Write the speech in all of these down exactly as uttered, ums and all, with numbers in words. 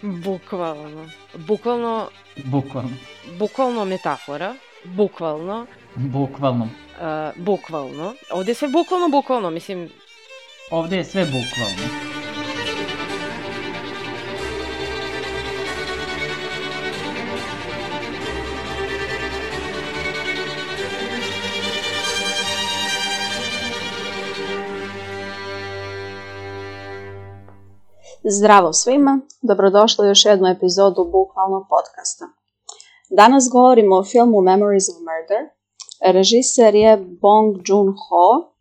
Bukvalno. Bukvalno... Bukvalno. Bukvalno metafora. Bukvalno. Bukvalno. Uh, bukvalno. Ovde je sve bukvalno, bukvalno, mislim... Ovde je sve bukvalno. Zdravo svima, dobrodošli u još jednu epizodu Bukvalno podcasta. Danas govorimo o filmu Memories of Murder. Režiser je Bong Joon-ho.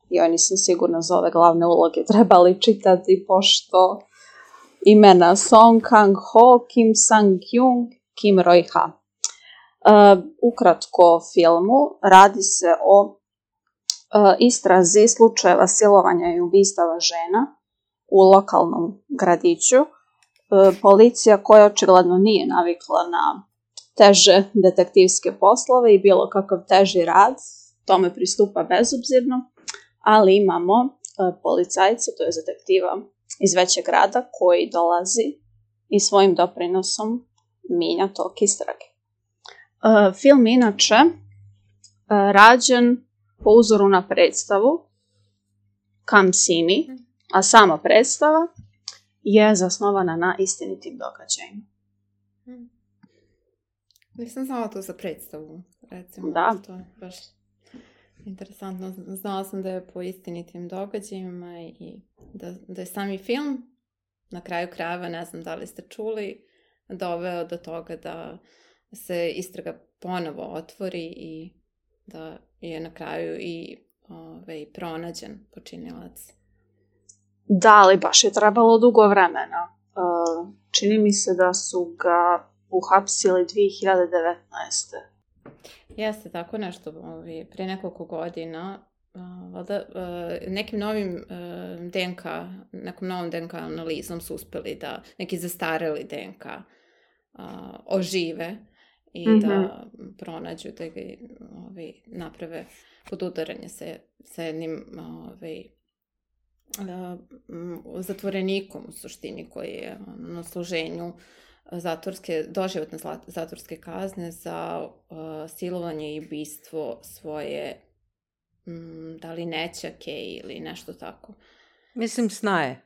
Joj, nisam sigurna za ove glavne uloge, trebali čitati pošto imena Song Kang-ho, Kim Sang-kyung, Kim Roy-ha. Uh, ukratko o filmu, radi se o uh, istrazi slučajeva silovanja i ubistava žena u lokalnom gradiću. E, policija koja očigledno nije navikla na teže detektivske poslove i bilo kakav teži rad, tome pristupa bezobzirno, ali imamo e, policajca, to je detektiva iz većeg grada koji dolazi i svojim doprinosom mijenja tok istrage. E, film inače e, rađen po uzoru na predstavu Come See Me, a sama predstava je zasnovana na istinitim događajima. Hmm. Nisam znala to za predstavu, recimo. Da. To je baš interesantno. Znala sam da je po istinitim događajima i da, da je sami film, na kraju krajeva, ne znam da li ste čuli, doveo do toga da se istraga ponovo otvori i da je na kraju i ove, pronađen počinilac. Da, ali baš je trebalo dugo vremena. Uh, čini mi se da su ga uhapsili dvije hiljade devetnaeste. Jeste, tako nešto. Ovi, prije nekoliko godina uh, valda, uh, nekim novim uh, D N K, nekom novom D N K analizom su uspeli da neki zastareli D N K uh, ožive i mm-hmm. da pronađu, da ga ovi, naprave podudaranje sa, sa jednim ovi, zatvorenikom u suštini koji je na služenju zatvorske, doživotne zatvorske kazne za uh, silovanje i ubistvo svoje um, da li nećake ili nešto tako. Mislim snaje.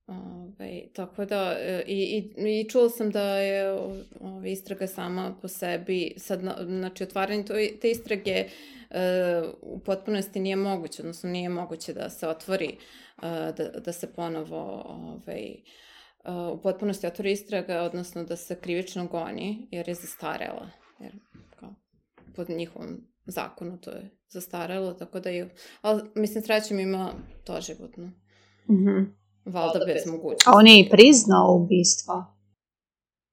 Ove, tako da i, i, i čula sam da je ove, istraga sama po sebi sad, znači otvaranje te istrage uh, u potpunosti nije moguće, odnosno nije moguće da se otvori, uh, da, da se ponovo ove, uh, u potpunosti otvori istraga, odnosno da se krivično goni jer je zastarela, jer kao, pod njihovom zakonu to je zastarelo, tako da je, ali mislim srećem ima to životno. Mhm. Valda bez mogućnosti. A on je i priznao ubistva.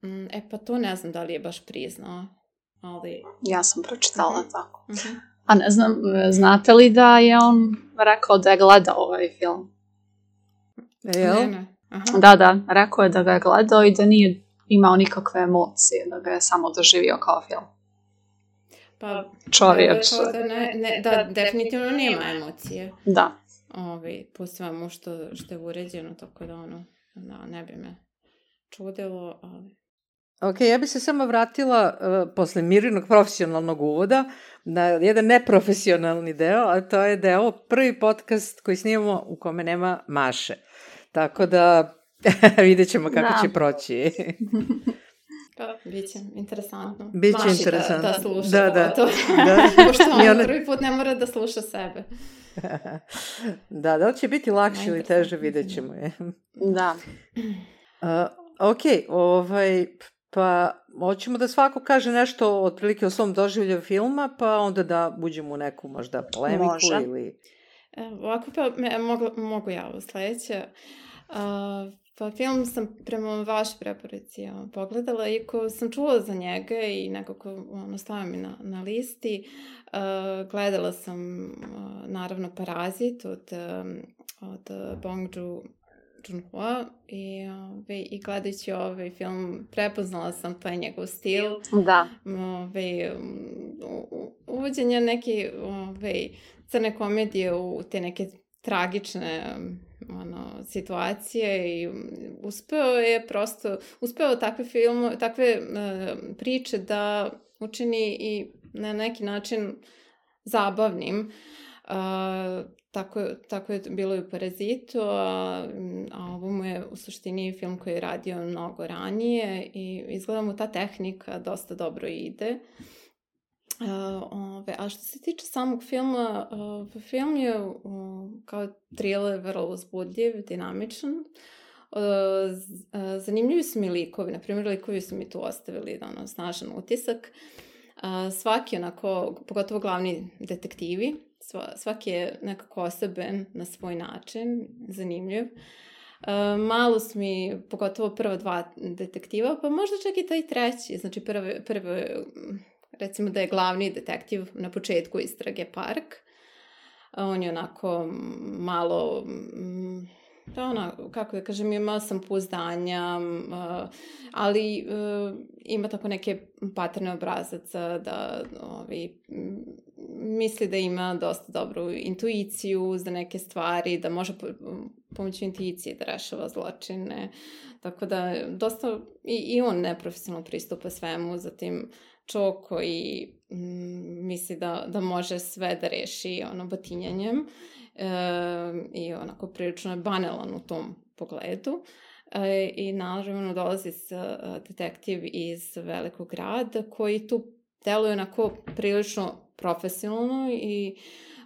Mm, e pa to ne znam da li je baš priznao, ali... Ja sam pročitala uh-huh. tako. Uh-huh. A ne znam, znate li da je on rekao da je gledao ovaj film? Jel? Ne, ne. Aha. Da, da, rekao je da ga je gledao i da nije imao nikakve emocije, da ga je samo doživio kao film. Pa, čovjek. Da, ne, ne, da, definitivno nema emocije. Da. Ovi, po svemu što, što je uređeno, tako da ono, da, ne bi me čudilo, ali... Ok, ja bi se samo vratila uh, posle Mirinog profesionalnog uvoda na jedan neprofesionalni deo, a to je da je ovo prvi podcast koji snimamo u kome nema Maše. Tako da vidjet ćemo kako da. će proći. Pa, biće interesantno. Biće Maši interesantno. Da, da sluša da, da. to. Da. Pošto on ona... prvi put ne mora da sluša sebe. Da, da li će biti lakše ili teže, vidjet ćemo je. Da. Uh, ok, ovaj, pa hoćemo da svako kaže nešto otprilike o svom doživlju filma, pa onda da uđemo u neku možda polemiku. Može. Ili... Ovako pa me, mogu, mogu ja ovo sledeće. Uh, pa film sam prema vašoj preporuci pogledala i ko sam čula za njega i nekako ono, stavio mi na, na listi. Uh, gledala sam uh, naravno Parazit od, um, od Bong Joon-ho i, ove, i gledajući ovaj film prepoznala sam taj njegov stil. Da. Ove, uvođenje neke ove, crne komedije u te neke tragične ono, situacije i uspeo je prosto, uspeo takve film, takve uh, priče da učini i na neki način zabavnim. Uh, tako, tako je bilo i u Parazitu, a, a ovo mu je u suštini film koji je radio mnogo ranije i izgleda mu ta tehnika dosta dobro ide. Uh, ove, a što se tiče samog filma, uh, film je uh, kao thriller vrlo uzbudljiv, dinamičan. Uh, z, uh, zanimljivi su mi likovi, na primjer likovi su mi tu ostavili ono, snažan utisak. Uh, svaki onako, pogotovo glavni detektivi, sva, svaki je nekako osoben na svoj način, zanimljiv. Uh, malo su mi, pogotovo prva dva detektiva, pa možda čak i taj treći, znači prve, prve recimo da je glavni detektiv na početku istrage Park. On je onako malo, pa ona, kako da kažem, ima samopouzdanja, ali ima tako neke paterne obrazaca da ovi, misli da ima dosta dobru intuiciju za neke stvari, da može pomoću intuicije da rešava zločine. Tako da dosta i, i on neprofesionalno pristupa svemu, zatim čovjek koji mm, misli da, da može sve da reši ono batinjanjem e, i onako prilično je banalan u tom pogledu. E, I naravno dolazi s, detektiv iz velikog grada koji tu deluje onako prilično profesionalno i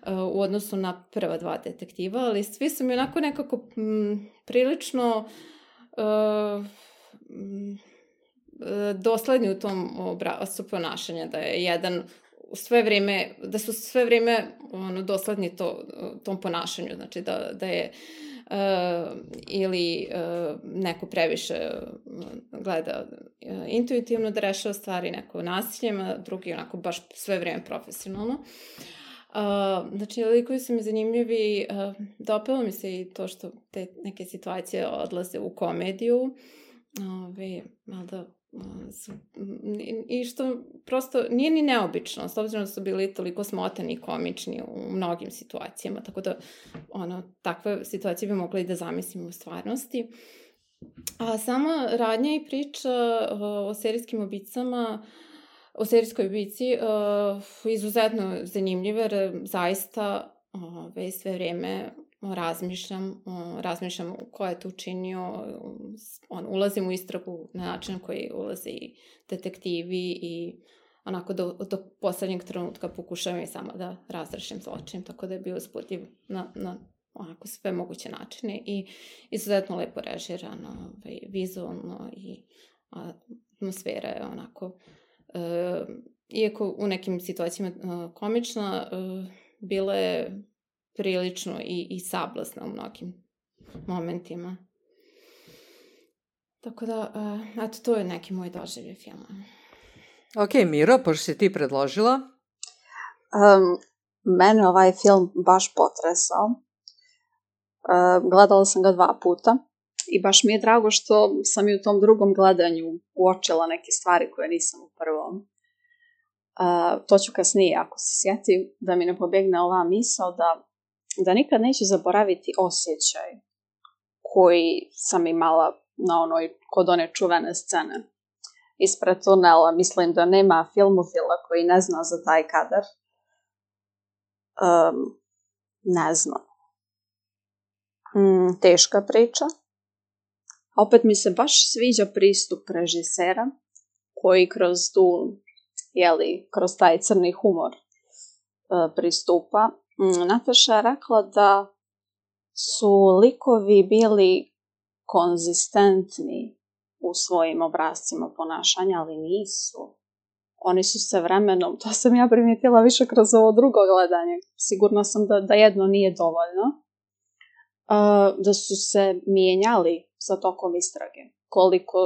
e, u odnosu na prva dva detektiva, ali svi su mi onako nekako m, prilično e, m, dosledni u tom obrascu ponašanja, da je jedan sve vrijeme, da su sve vrijeme ono, dosledni to, tom ponašanju, znači da, da je uh, ili uh, neko previše gleda uh, intuitivno da rešava stvari, neko nasiljem, a drugi onako baš sve vrijeme profesionalno. Uh, znači, likovi su mi zanimljivi, uh, dopelo mi se i to što te neke situacije odlaze u komediju, Ove, da, su, i što prosto nije ni neobično, s obzirom da su bili toliko smotani i komični u mnogim situacijama, tako da ono, takve situacije bi mogli da zamislimo u stvarnosti. A sama radnja i priča uh, o serijskim ubicama, o serijskoj ubici, uh, izuzetno zanimljiva, jer zaista uh, sve vrijeme razmišljam, razmišljam ko je to učinio, on, ulazim u istragu na način koji ulaze i detektivi i onako do, do poslednjeg trenutka pokušavam i samo da razrešim zločin, tako da je bio uzbudljiv na, na onako sve moguće načine i izuzetno lepo režirano, vizualno i atmosfera je onako, e, iako u nekim situacijama e, komična, e, bila je prilično i, i sablasna u mnogim momentima. Tako da, uh, eto, to je neki moj doživljaj filma. Ok, Miro, pošto si ti predložila? Um, mene ovaj film baš potresao. Uh, gledala sam ga dva puta i baš mi je drago što sam i u tom drugom gledanju uočila neke stvari koje nisam u prvom. Uh, to ću kasnije, ako se sjetim, da mi ne pobjegne ova misao da da nikad neću zaboraviti osjećaj koji sam imala na onoj, kod one čuvene scene ispred tunela. Mislim da nema filmofila koji ne zna za taj kadar. Um, ne znam. Mm, teška priča. Opet mi se baš sviđa pristup režisera koji kroz tu, jeli, kroz taj crni humor uh, pristupa. Nataša je rekla da su likovi bili konzistentni u svojim obrascima ponašanja, ali nisu. Oni su se vremenom, to sam ja primijetila više kroz ovo drugo gledanje, sigurno sam da, da jedno nije dovoljno, uh, da su se mijenjali sa tokom istrage, koliko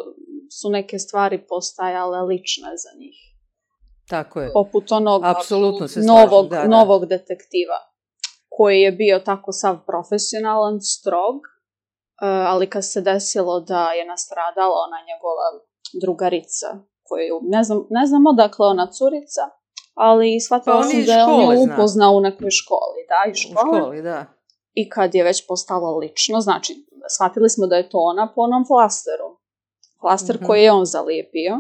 su neke stvari postajale lične za njih. Tako je. Poput onog apsolutno se novog, da, da. novog detektiva, koji je bio tako sav profesionalan, strog, ali kad se desilo da je nastradala ona njegova drugarica, koju ne znam, ne znam odakle ona curica, ali shvatila pa sam da je on ju upoznao u nekoj školi. Da, i škola. U školi, da. i kad je već postalo lično, znači, shvatili smo da je to ona po onom flasteru. Flaster mm-hmm. koji je on zalijepio.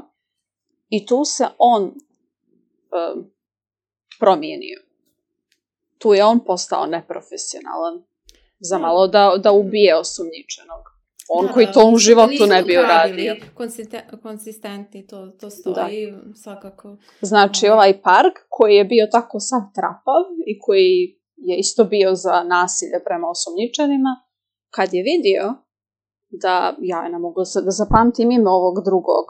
I tu se on um, promijenio. Tu je on postao neprofesionalan. Za malo da, da ubije osumnjičenog. On da, koji to u životu ne bi uradio. Konsistentni, to, to stoji da. Svakako. Znači, ovaj park koji je bio tako sav trapav i koji je isto bio za nasilje prema osumnjičenima, kad je vidio da, ja ne mogu da zapamtim ime ovog drugog.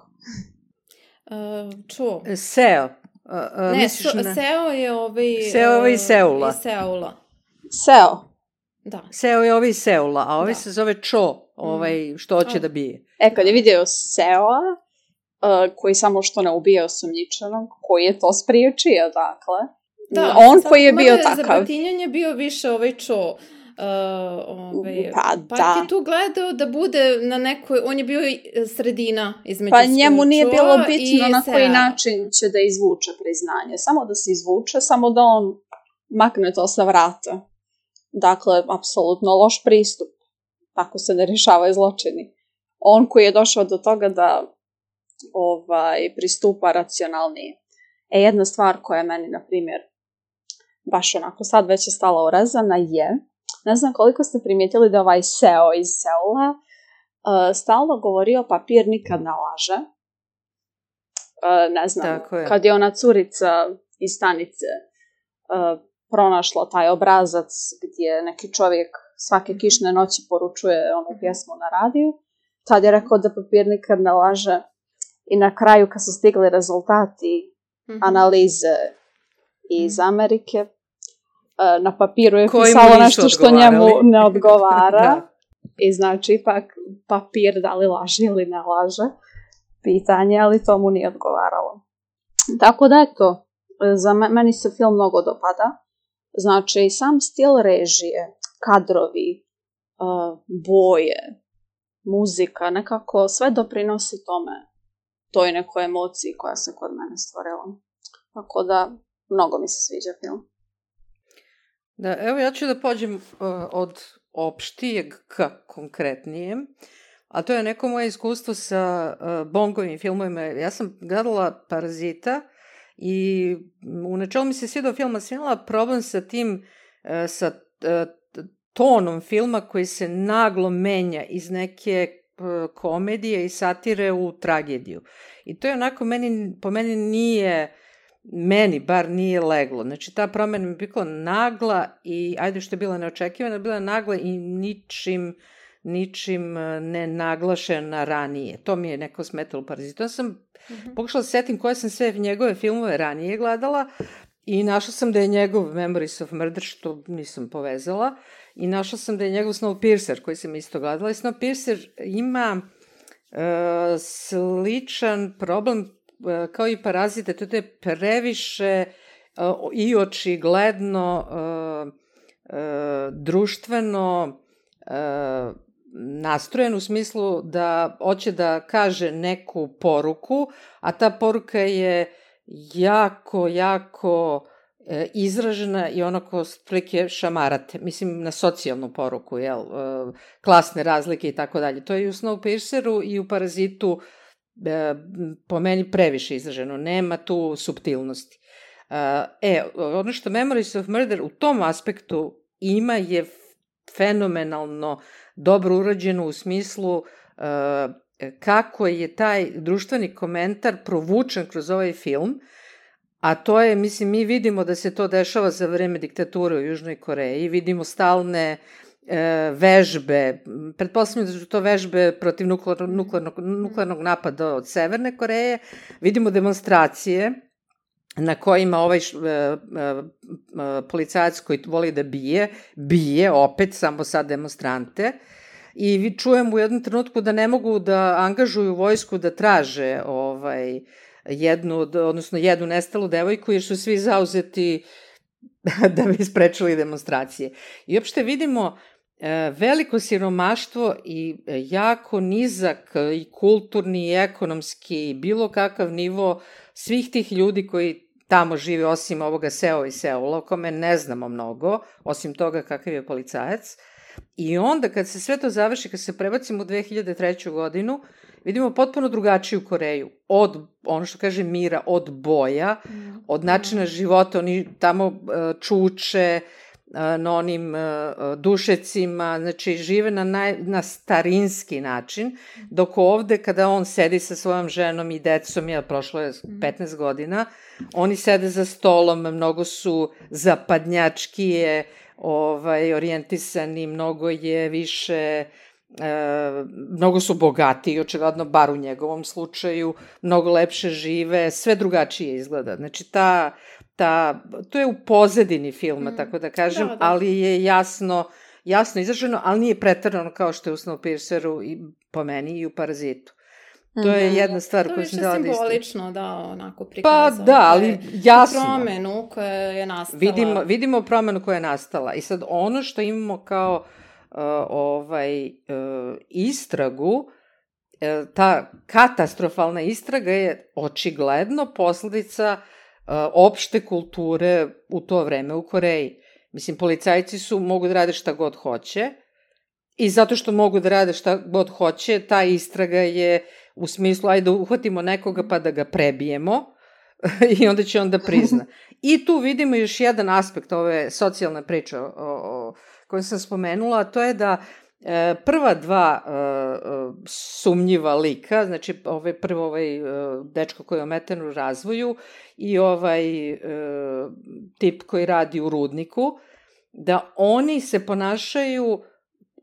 Uh, čo? Seo. Uh, uh, ne, so, na... Seo je ovaj... Seo je ovaj iz Seula. Iz Seula. Seo. Da. Seo je ovaj iz Seula, a ovaj da. Se zove Cho, ovaj što hoće mm. da bije. E, kad je vidio Seoa, uh, koji samo što ne ubije osumnjičenog, koji je to spriječio, dakle. Da, on koji je bio takav. Za batinjanje je bio više ovaj Cho. Uh, ovaj, pa pa da. je tu gledao da bude na nekoj, on je bio sredina između pa njemu nije bilo bitno na koji Sea. način će da izvuče priznanje, samo da se izvuče, samo da on makne to sa vrata. Dakle, apsolutno loš pristup, tako se ne rješavaju zločini. On koji je došao do toga da ovaj, pristupa racionalnije. E, jedna stvar koja je meni, na primjer, baš onako sad već je stala urezana je, ne znam koliko ste primijetili da ovaj Seo iz Seula uh, stalno govorio papir nikad ne laže. Uh, ne znam, je. Kad je ona curica iz stanice uh, pronašla taj obrazac gdje neki čovjek svake kišne noći poručuje onu pjesmu na radiju, tad je rekao da papir nikad ne laže i na kraju kad su stigli rezultati mm-hmm. analize iz Amerike, na papiru je pisalo nešto što njemu ne odgovara. I znači, ipak papir da li laže ili ne laže. Pitanje, ali to mu nije odgovaralo. Tako da, eto, za me, meni se film mnogo dopada. Znači, sam stil režije, kadrovi, uh, boje, muzika, nekako sve doprinosi tome, toj nekoj emociji koja se kod mene stvorila. Tako da, mnogo mi se sviđa film. Da, evo ja ću da pođem uh, od opštijeg ka konkretnijem, a to je neko moje iskustvo sa uh, Bongovim filmovima. Ja sam gledala Parazita i u načelu mi se svidao film, a sam imala problem sa tim, uh, sa uh, tonom filma koji se naglo menja iz neke uh, komedije i satire u tragediju. I to je onako, meni, po meni nije... meni bar nije leglo. Znači, ta promjena mi je bila nagla i, ajde što je bila neočekivana, bila nagla i ničim, ničim ne naglašena ranije. To mi je neko smetalo u Parazitu. Ja sam mm-hmm. pokušala da setim koje sam sve njegove filmove ranije gledala i našla sam da je njegov Memories of Murder, što nisam povezala, i našla sam da je njegov Snowpiercer, koji sam isto gledala. I Snowpiercer ima uh, sličan problem kao i Parazite, to je previše uh, i očigledno uh, uh, društveno uh, nastrojen u smislu da hoće da kaže neku poruku, a ta poruka je jako, jako uh, izražena i onako prilike šamarate. Mislim, na socijalnu poruku, jel? Uh, klasne razlike i tako dalje. To je i u Snowpierceru i u Parazitu po meni previše izraženo, nema tu suptilnosti. E, ono što Memories of Murder u tom aspektu ima je fenomenalno dobro urađeno u smislu kako je taj društveni komentar provučen kroz ovaj film, a to je, mislim, mi vidimo da se to dešava za vreme diktature u Južnoj Koreji, vidimo stalne vežbe, pretpostavljam da su to vežbe protiv nuklearnog, nuklearnog, nuklearnog napada od Severne Koreje, vidimo demonstracije na kojima ovaj š, e, e, policajac koji voli da bije, bije opet samo sad demonstrante i vi čujemo u jednom trenutku da ne mogu da angažuju vojsku da traže ovaj, jednu, odnosno jednu nestalu devojku jer su svi zauzeti da bi sprečili demonstracije. I uopšte vidimo veliko siromaštvo i jako nizak i kulturni i ekonomski i bilo kakav nivo svih tih ljudi koji tamo živi osim ovoga Seo i Seula, o kome ne znamo mnogo, osim toga kakav je policajac. I onda kad se sve to završi, kad se prebacimo u dve hiljade treću. godinu, vidimo potpuno drugačiju Koreju. Od, ono što kaže Mira, od boja, od načina života, oni tamo uh, čuče uh, na onim uh, dušecima, znači žive na, naj, na starinski način, dok ovde kada on sedi sa svojom ženom i decom, ja, prošlo je petnaest godina, oni sede za stolom, mnogo su zapadnjačkije, ovaj, orijentisani, mnogo je više... E, mnogo su bogatiji, očigledno, bar u njegovom slučaju, mnogo lepše žive, sve drugačije izgleda. Znači, ta, ta, to je u pozadini filma, mm. tako da kažem, da, da. ali je jasno, jasno izraženo, ali nije preterano kao što je u Snowpierceru i po meni i u Parazitu. To je jedna stvar koju sam dala da ističem. To je više simbolično, da, onako prikazao. Pa da, ali jasno. Promenu koja je nastala. Vidimo, vidimo promenu koja je nastala. I sad ono što imamo kao Uh, ovaj, uh, istragu, uh, ta katastrofalna istraga je očigledno posledica uh, opšte kulture u to vreme u Koreji. Mislim, policajci su, mogu da rade šta god hoće i zato što mogu da rade šta god hoće, ta istraga je u smislu, ajde uhvatimo nekoga pa da ga prebijemo i onda će on da prizna. I tu vidimo još jedan aspekt ove socijalne priče o, o koju sam spomenula, a to je da e, prva dva e, sumnjiva lika, znači ovaj, prvo ovaj e, dečko koji je ometen u razvoju i ovaj e, tip koji radi u rudniku, da oni se ponašaju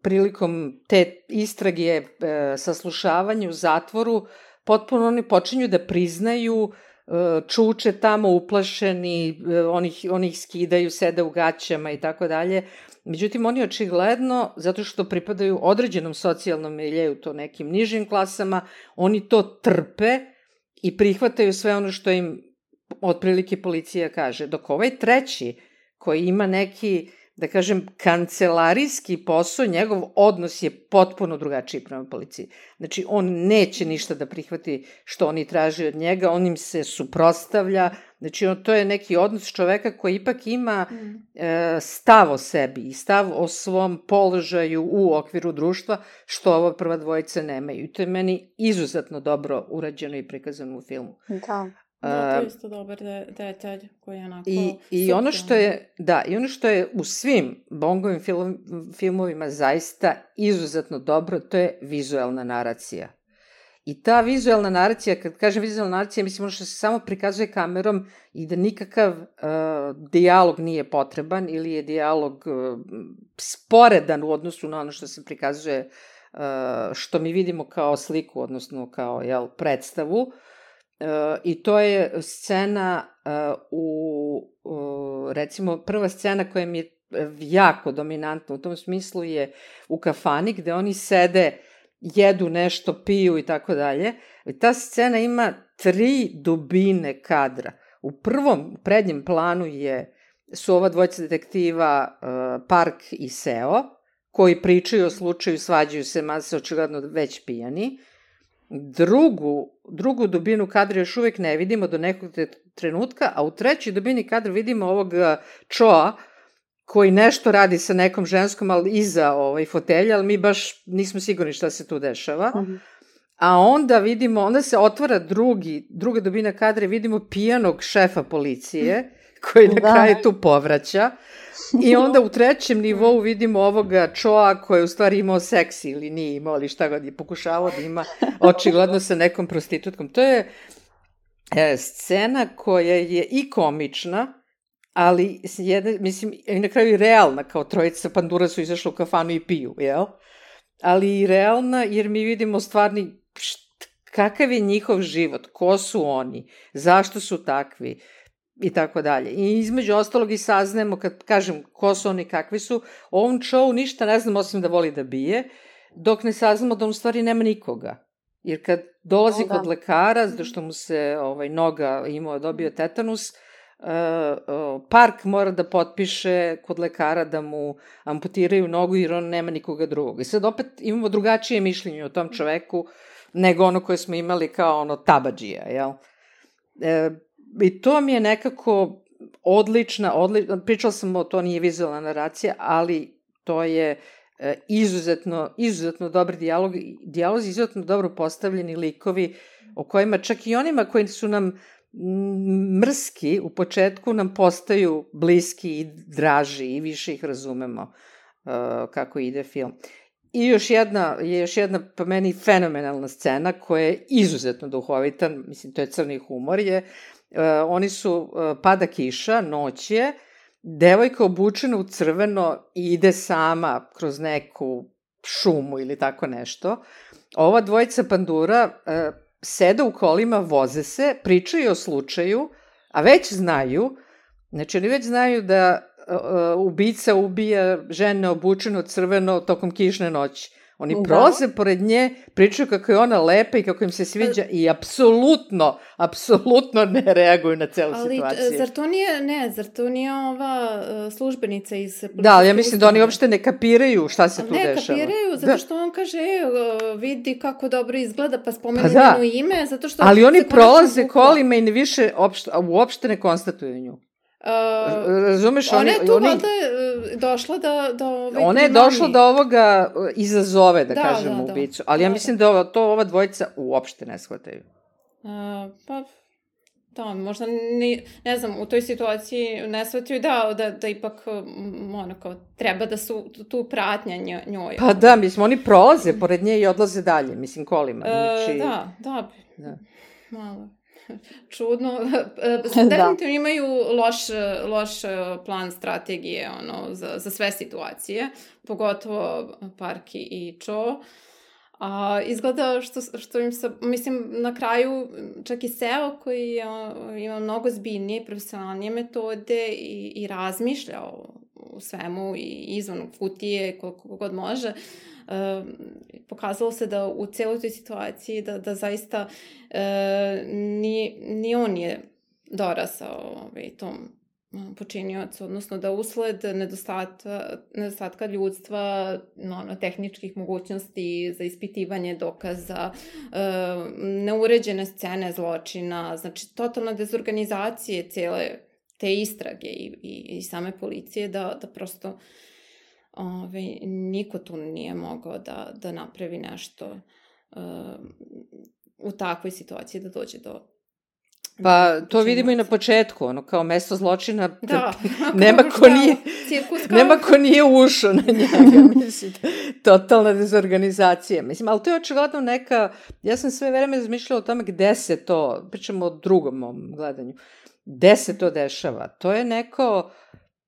prilikom te istrage, e, saslušavanja u zatvoru, potpuno oni počinju da priznaju, e, čuče tamo uplašeni, e, oni, oni ih skidaju, sede u gaćama i tako dalje. Međutim, oni očigledno, zato što pripadaju određenom socijalnom miljeju, to nekim nižim klasama, oni to trpe i prihvataju sve ono što im otprilike policija kaže. Dok ovaj treći, koji ima neki, da kažem, kancelarijski posao, njegov odnos je potpuno drugačiji prema policiji. Znači, on neće ništa da prihvati što oni traže od njega, on im se suprotstavlja. Znači, on, to je neki odnos čoveka koji ipak ima mm. e, stav o sebi i stav o svom položaju u okviru društva, što ova prva dvojica nemaju. I to je meni izuzetno dobro urađeno i prikazano u filmu. Da. Da, to je isto dobar detalj koji je onako... I, i ono što je, da, i ono što je u svim Bongovim film, filmovima zaista izuzetno dobro, to je vizuelna naracija. I ta vizuelna naracija, kad kažem vizuelna naracija, mislim ono što se samo prikazuje kamerom i da nikakav uh, dijalog nije potreban ili je dijalog uh, sporedan u odnosu na ono što se prikazuje, uh, što mi vidimo kao sliku, odnosno kao, jel, predstavu. Uh, I to je scena uh, u, uh, recimo, prva scena koja mi je jako dominantna u tom smislu je u kafani gde oni sede, jedu nešto, piju i tako dalje. I ta scena ima tri dubine kadra. U prvom prednjem planu je, su ova dvojica detektiva uh, Park i Seo, koji pričaju o slučaju, svađaju se, mada se očigledno već pijani. Drugu, drugu dubinu kadra još uvek ne vidimo do nekog trenutka, a u trećoj dubini kadra vidimo ovog Choa, koji nešto radi sa nekom ženskom, ali iza ovaj, fotelja, ali mi baš nismo sigurni šta se tu dešava. Uh-huh. A onda vidimo, onda se otvara drugi, druga dubina kadra i vidimo pijanog šefa policije, koji na da. kraju tu povraća. I onda u trećem nivou vidimo ovoga Choa koji je u stvari imao seks ili nije imao, ali šta god je pokušavao da ima očigledno sa nekom prostitutkom. To je e, scena koja je i komična, ali jedna, mislim, i na kraju i realna, kao trojica pandura su izašli u kafanu i piju, jel? Ali i realna, jer mi vidimo stvarni št, kakav je njihov život, ko su oni, zašto su takvi, i tako dalje. I između ostalog i saznemo, kad kažem ko su oni, kakvi su, o ovom Chow ništa ne znam osim da voli da bije, dok ne saznamo da on u stvari nema nikoga. Jer kad dolazi o, da. kod lekara, zato što mu se ovaj, noga imao, dobio tetanus, Uh, uh, Park mora da potpiše kod lekara da mu amputiraju nogu jer on nema nikoga drugog. I sad opet imamo drugačije mišljenje o tom čoveku nego ono koje smo imali kao ono tabadžija, jel? Uh, i to mi je nekako odlična, odlična, pričala sam o to, nije vizualna naracija, ali to je e, izuzetno, izuzetno dobar dijalog, dijalozi izuzetno dobro postavljeni likovi, o kojima čak i onima koji su nam mrski u početku nam postaju bliski i draži i više ih razumemo uh, kako ide film. I još jedna, je još jedna po meni fenomenalna scena koja je izuzetno duhovita, mislim to je crni humor je, uh, oni su, uh, pada kiša, noć je, devojka obučena u crveno i ide sama kroz neku šumu ili tako nešto. Ova dvojica pandura uh, sede u kolima, voze se, pričaju o slučaju, a već znaju, znači oni već znaju da uh, ubica ubija žene obučeno crveno tokom kišne noći. Oni da. prolaze pored nje, pričaju kako je ona lepa i kako im se sviđa i apsolutno, apsolutno ne reaguju na celu ali, situaciju. Ali zar to nije, ne, zar to nije ova uh, službenica iz policijske Da, ali ja mislim da oni uopšte ne kapiraju šta se tu ne, dešava. Ne, kapiraju, zato što da. on kaže, e, vidi kako dobro izgleda, pa spomenu pa da. njeno ime, zato što... Ali oni prolaze kolima i ne više opšte, uopšte ne konstatuju nju. Uh, Razumeš? Ona oni, je tu oni, valjda došla da... da ovaj ona je primami. došla da ovoga izazove, da, da kažemo, da, ubicu. Da, ali ja da, mislim da ova, to ova dvojica uopšte ne shvataju. Uh, pa, da, možda ne, ne znam, u toj situaciji ne shvataju da, da, da ipak ono kao, treba da su tu pratnja njoj. Pa da, mislim, oni prolaze pored nje i odlaze dalje, mislim, kolima. Znači... Uh, da, da, da. Malo... čudno. Definitivno da. imaju loš, loš plan strategije ono, za, za sve situacije, pogotovo Parki i Cho. A, izgleda što, što im se, mislim, na kraju čak i Seo koji a, ima mnogo zbiljnije i profesionalnije metode i, i razmišlja o, o svemu i izvan kutije koliko god može, Uh, pokazalo se da u celoj toj situaciji da, da zaista uh, ni, ni on je dorasao ovaj, tom počiniocu, odnosno da usled nedostatka, nedostatka ljudstva, no, tehničkih mogućnosti za ispitivanje dokaza, uh, neuređene scene zločina, znači totalna dezorganizacije cele te istrage i, i, i same policije da, da prosto Ove, niko tu nije mogao da, da napravi nešto uh, u takvoj situaciji da dođe do... Pa to vidimo i na početku, ono kao mesto zločina, da, nema ko nije, nema ko nije ušao na njega, mislim, totalna dezorganizacija. Mislim, ali to je očigledno neka, ja sam sve vreme razmišljala o tome gde se to, pričamo o drugom mom gledanju, gde se to dešava. To je neko,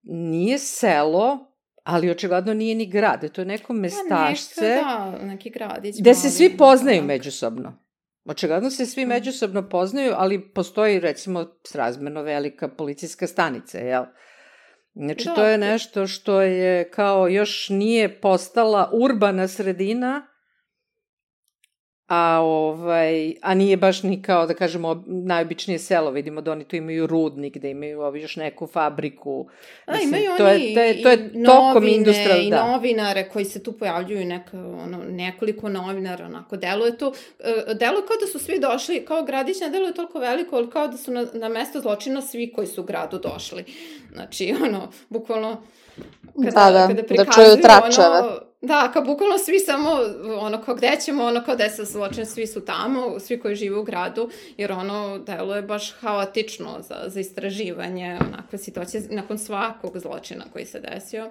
nije selo, ali očigledno nije ni grad, to je neko mestašce. Pa neka, da, neki gradić. Gde se svi poznaju tak. međusobno. Očigledno se svi međusobno poznaju, ali postoji recimo srazmerno velika policijska stanica, jel? Znači da. to je nešto što je kao još nije postala urbana sredina, a, ovaj, a nije baš ni kao, da kažemo, najobičnije selo. Vidimo da oni tu imaju rudnik, da imaju ovi još neku fabriku. A, Mislim, imaju to oni je, to je, to je i novine industral, i da. novinare koji se tu pojavljuju, neka, ono, nekoliko novinara, onako, deluje to, deluje kao da su svi došli, kao gradić ne deluje toliko veliko, ali kao da su na, na mesto zločina svi koji su u gradu došli. Znači, ono, bukvalno, kada, da, da, kada da čuju tračeve. Ono, da, kao bukvalno svi samo, ono, kao gde ćemo, ono, kao desa zločin, svi su tamo, svi koji žive u gradu, jer ono, deluje baš haotično za, za istraživanje, onakve situacije, nakon svakog zločina koji se desio.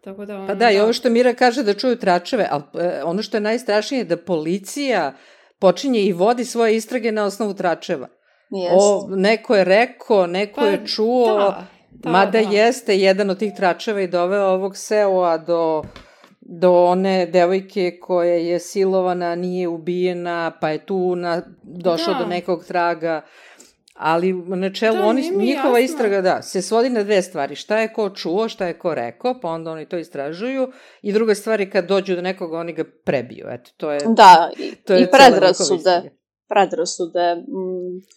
Tako da, ono, pa da, i ovo što Mira kaže da čuju tračeve, ali ono što je najstrašnije je da policija počinje i vodi svoje istrage na osnovu tračeva. Yes. O, neko je rekao, neko pa, je čuo, da, da, mada da. jeste jedan od tih tračeva i doveo ovog Seoa do... do one devojke koja je silovana, nije ubijena, pa je tu na, došla da. do nekog traga. Ali u načelu, da, oni, njihova jasno. istraga, da, se svodi na dve stvari. Šta je ko čuo, šta je ko rekao, pa onda oni to istražuju. I druga stvar je kad dođu do nekoga, oni ga prebiju. Eto, to je, da, i, to je i predrasude. Predrasude.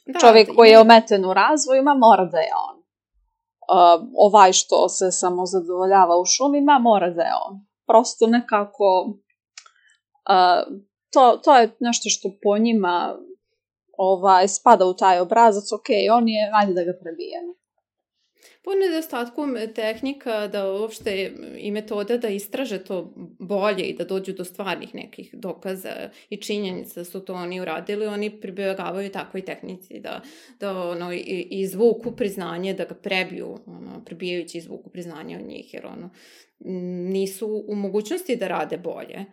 Da, čovjek koji je ometen u razvojima mora da je on. Uh, ovaj što se samo zadovoljava u šumima mora da je on. Prosto nekako uh, to, to je nešto što po njima ovaj, spada u taj obrazac, ok, on je, ajde da ga prebijemo. Po nedostatku tehnika da uopšte i metoda da istraže to bolje i da dođu do stvarnih nekih dokaza i činjenica da su to oni uradili, oni pribjegavaju takvoj tehnici da, da ono, i, izvuku priznanje, da ga prebiju, ono, prebijajući izvuku priznanje od njih, jer ono, nisu u mogućnosti da rade bolje.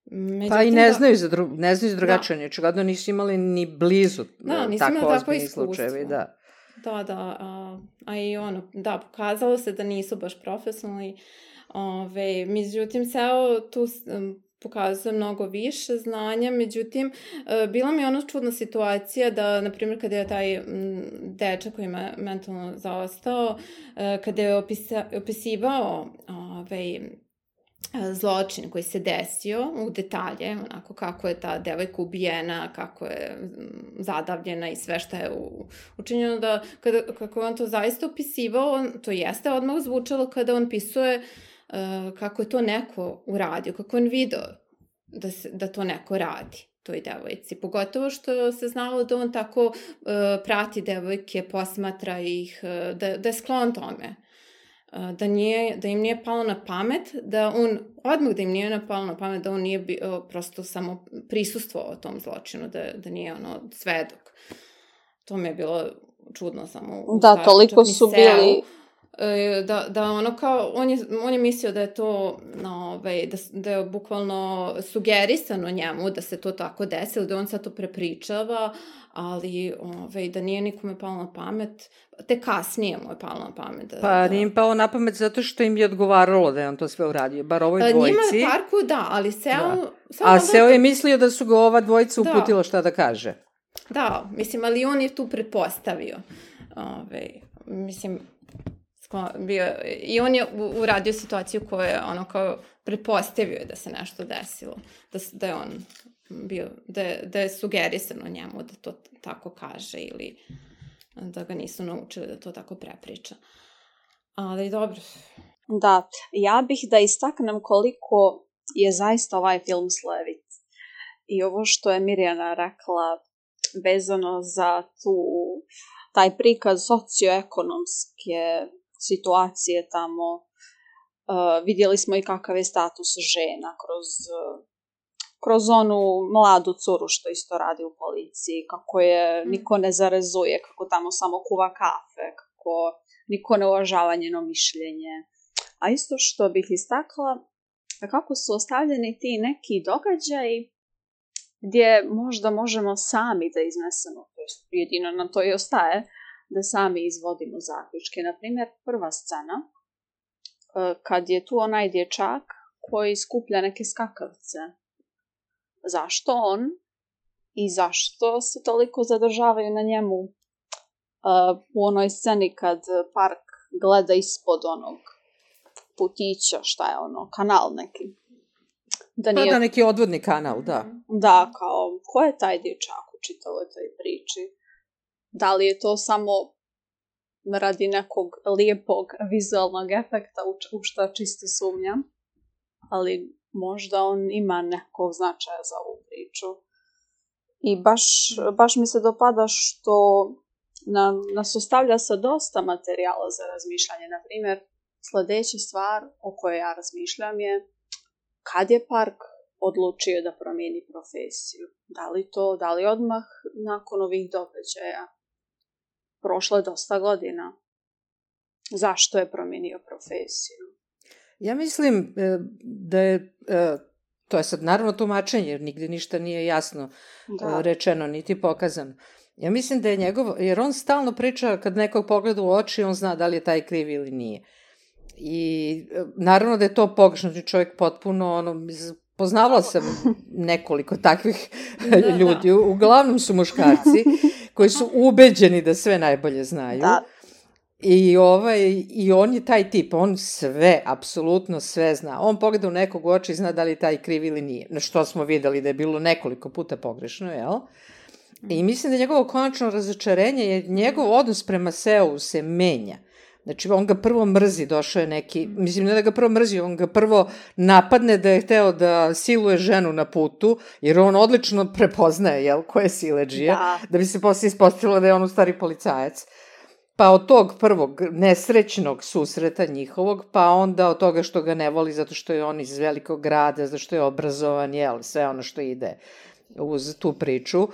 Međutim, pa i ne da, znaju za, dru, ne znaju za drugačije, očigledno nisu imali ni blizu da, tako ozbiljni slučajevi, da. Da, da, a, a i ono, da, pokazalo se da nisu baš profesionalni, ove, međutim, ceo tu um, pokazuje mnogo više znanja, međutim, uh, bila mi je ono čudna situacija da, na primjer, kada je taj m, dečak koji je mentalno zaostao, uh, kada je opisa, opisivao ove, zločin koji se desio u detalje, onako kako je ta devojka ubijena, kako je zadavljena i sve što je učinjeno, da kada, kako je on to zaista opisivao, to jeste odmah zvučalo kada on pisuje uh, kako je to neko uradio, kako on video da, se, da to neko radi toj devojci. Pogotovo što se znalo da on tako uh, prati devojke, posmatra ih, uh, da, da je sklon tome. Da, nije, da im nije palo na pamet, da on, odmah da im nije palo na pamet, da on nije bio, prosto samo prisustvovao tom zločinu, da, da nije ono svedok. To mi je bilo čudno samo. Da, stvari, toliko su bili... Da, da ono kao, on je, on je mislio da je to, no, ovaj, da, da je bukvalno sugerisano njemu da se to tako desilo, da on sad to prepričava, ali ovaj, da nije nikome palo na pamet, te kasnije mu je palo na pamet. Da, pa da... nije im palo na pamet zato što im je odgovaralo da je on to sve uradio, bar ovoj dvojci. Njima je parku, da, ali Seo... Da. A Seo je mislio da su ga ova dvojica uputila šta da kaže. Da, mislim, ali on je tu pretpostavio. Ove, mislim... Bio, i on je uradio situaciju koju je ono kao pretpostavio da se nešto desilo, da, da je on bio, da je, da je sugerisano njemu da to tako kaže ili da ga nisu naučili da to tako prepriča. Ali dobro. Da, ja bih da istaknem koliko je zaista ovaj film slevit. I ovo što je Mirjana rekla vezano za tu, taj prikaz socioekonomske situacije tamo, uh, vidjeli smo i kakav je status žena kroz, uh, kroz onu mladu curu što isto radi u policiji, kako je niko ne zarezuje, kako tamo samo kuva kafe, kako niko ne uvažava njeno mišljenje. A isto što bih istakla, kako su ostavljeni ti neki događaji gdje možda možemo sami da iznesemo, to je jedino nam to i ostaje, da sami izvodimo zaključke. Naprimjer, prva scena, kad je tu onaj dječak koji skuplja neke skakavce. Zašto on i zašto se toliko zadržavaju na njemu u onoj sceni kad Park gleda ispod onog putića, šta je ono, kanal neki. Da nije... Pa da, neki odvodni kanal, da. Da, kao, ko je taj dječak u čitavoj toj priči? Da li je to samo radi nekog lijepog vizualnog efekta u što čisto sumnjam, ali možda on ima nekog značaja za ovu priču. I baš, baš mi se dopada što nam, nas ostavlja sa dosta materijala za razmišljanje. Naprimjer, sljedeća stvar o kojoj ja razmišljam je kad je Park odlučio da promijeni profesiju. Da li to, da li odmah nakon ovih događaja? Prošlo je dosta godina. Zašto je promijenio profesiju? Ja mislim da je, to je sad naravno tumačenje, jer nigde ništa nije jasno da. rečeno, niti pokazano. Ja mislim da je njegov, jer on stalno priča kad nekog pogleda u oči, on zna da li je taj kriv ili nije. I naravno da je to pogrešno, čovjek potpuno, ono, poznavala sam nekoliko takvih da, ljudi, da. Uglavnom su muškarci koji su ubeđeni da sve najbolje znaju. Da. I, ovaj, I on je taj tip, on sve, apsolutno sve zna. On pogleda u nekog u oči i zna da li je taj kriv ili nije. Na što smo videli da je bilo nekoliko puta pogrešno, jel? I mislim da njegovo konačno razočarenje je njegov odnos prema Seu se menja. Znači, on ga prvo mrzi, došao je neki, mislim, ne da ga prvo mrzi, on ga prvo napadne da je hteo da siluje ženu na putu, jer on odlično prepoznaje, jel, ko je siledžija, da, da bi se posle ispostavilo da je on u stari policajac. Pa od tog prvog nesrećnog susreta njihovog, pa onda od toga što ga ne voli zato što je on iz velikog grada, zato što je obrazovan, jel, sve ono što ide uz tu priču,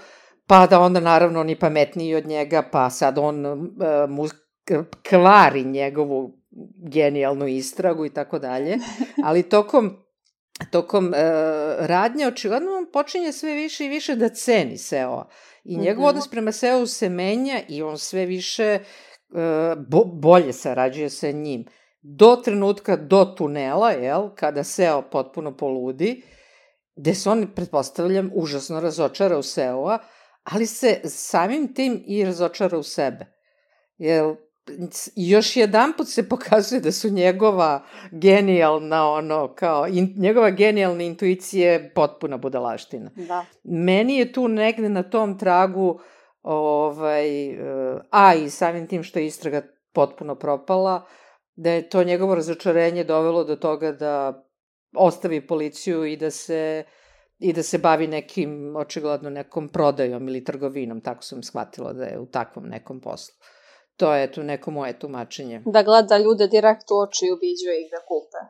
pa da onda naravno on je pametniji od njega, pa sad on uh, mu kvari njegovu genijalnu istragu i tako dalje, ali tokom, tokom uh, radnje očigledno on počinje sve više i više da ceni Seo. I njegov odnos prema Seo se menja i on sve više uh, bo, bolje sarađuje sa njim. Do trenutka, do tunela, jel, kada Seo potpuno poludi, gde se on, pretpostavljam, užasno razočara u Seoa, ali se samim tim i razočara u sebe. Jer još jedan put se pokazuje da su njegova genijalna, ono, kao, in, njegova genijalna intuicija je potpuna budalaština. Da. Meni je tu negde na tom tragu, ovaj, a i samim tim što je istraga potpuno propala, da je to njegovo razočarenje dovelo do toga da ostavi policiju i da se i da se bavi nekim, očigledno nekom prodajom ili trgovinom, tako sam shvatila da je u takvom nekom poslu. To je tu neko moje tumačenje. Da gleda ljude direkt u oči i ubiđuje ih da kupe.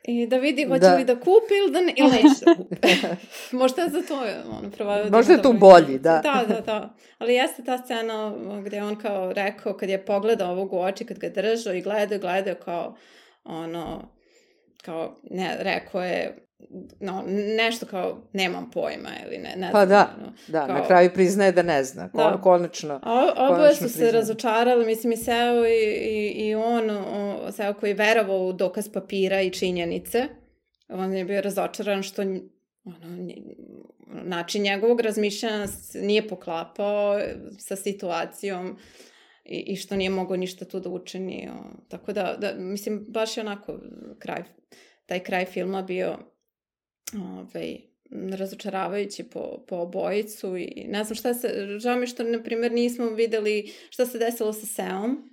I da vidi hoće da. li da kupi ili, da ne, ili neće da kupi. Možda za to je ono pravo. Možda je tu bolji, da. Da, da, da. Ali jeste ta scena gde on kao rekao, kad je pogledao ovog u oči, kad ga držao i gledao, gledao kao ono, kao, ne, rekao je, no, nešto kao, nemam pojma, ili ne, ne znam. Pa da, ono, da, kao, na kraju priznaje da ne zna, da. konačno. A oboje su se razočarali, mislim i Seo i, i, i on, o, Seo koji je verovao u dokaz papira i činjenice, on je bio razočaran što ono, način njegovog razmišljanja nije poklapao sa situacijom i, i što nije mogao ništa tu da učini. O, tako da, da, mislim, baš je onako kraj, taj kraj filma bio ovaj, razočaravajući po, po obojicu i ne znam šta se, žao mi što, na primjer, nismo videli šta se desilo sa Seom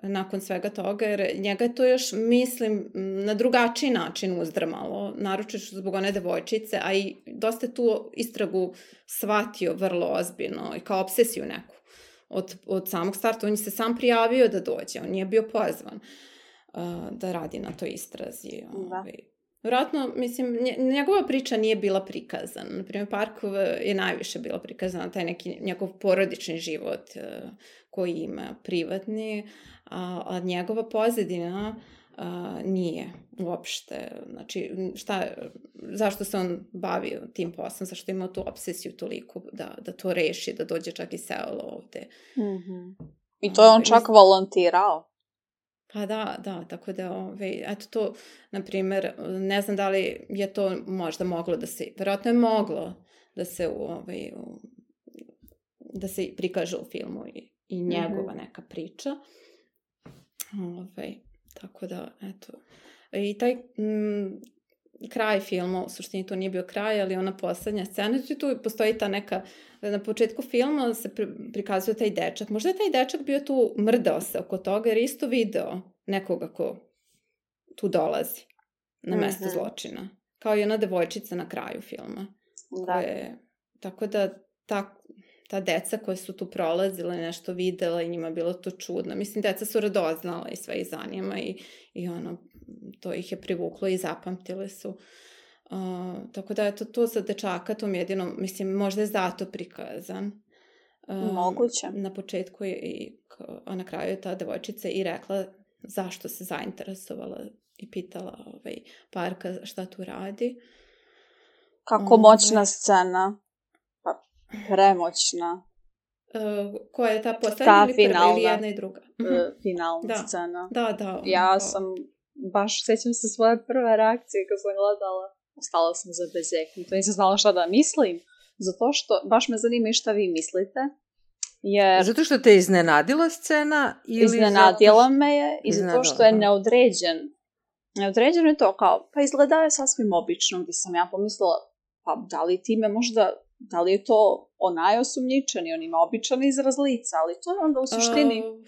nakon svega toga, jer njega je to još, mislim, na drugačiji način uzdrmalo, naročito zbog one devojčice, a i dosta je tu istragu shvatio vrlo ozbiljno i kao obsesiju neku. Od, od samog starta, on je se sam prijavio da dođe, on nije bio pozvan uh, da radi na toj istrazi. Da. Ovaj. Vjerojatno, mislim, njegova priča nije bila prikazana. Naprimjer, Parkov je najviše bila prikazana, taj neki njegov porodični život uh, koji ima, privatni, a, a njegova pozadina uh, nije uopšte. Znači, šta, zašto se on bavio tim poslom, zašto ima tu obsesiju toliko da, da to reši, da dođe čak i Seo ovde. Mm-hmm. I to je on čak volontirao. Pa da, da, tako da, ove, eto to, na primjer, ne znam da li je to možda moglo da se, vjerojatno je moglo da se, ove, da se prikaže u filmu i, i njegova neka priča. Ove, tako da, eto, i taj m, kraj filma, u suštini to nije bio kraj, ali ona poslednja scena, tu postoji ta neka, na početku filma se prikazuje taj dečak. Možda je taj dečak bio tu, mrdao se oko toga, jer isto video nekoga ko tu dolazi na mesto mm-hmm. zločina. Kao i ona devojčica na kraju filma. Da. Koje, tako da ta, ta deca koje su tu prolazile, nešto videla i njima bilo to čudno. Mislim, deca su radoznala i sve ih zanima i, i ono, to ih je privuklo i zapamtile su. Uh, tako da, eto, to za dečaka, tom jedinom, mislim, možda je zato prikazan. Uh, Moguće. Na početku je i, a na kraju je ta devojčica i rekla zašto se zainteresovala i pitala ovaj, Parka šta tu radi. Kako um, moćna scena. Pa, premoćna. Uh, koja je ta poslednja ili prva ili jedna i druga? Uh, finalna da. scena. Da, da. Ja to... sam, baš sećam se svoje prve reakcije kad sam gledala. Ostala sam zabezeknuta. Nisam znala šta da mislim. Zato što, baš me zanima i šta vi mislite. Jer... Zato što te iznenadila scena? Ili iznenadila zato... me je i zato što je neodređen. Neodređen je to kao, pa izgledao je sasvim obično, gdje sam ja pomislila, pa da li time možda, da li je to onaj osumnjičeni, on ima običan izraz lica, ali to je onda u suštini... Uh...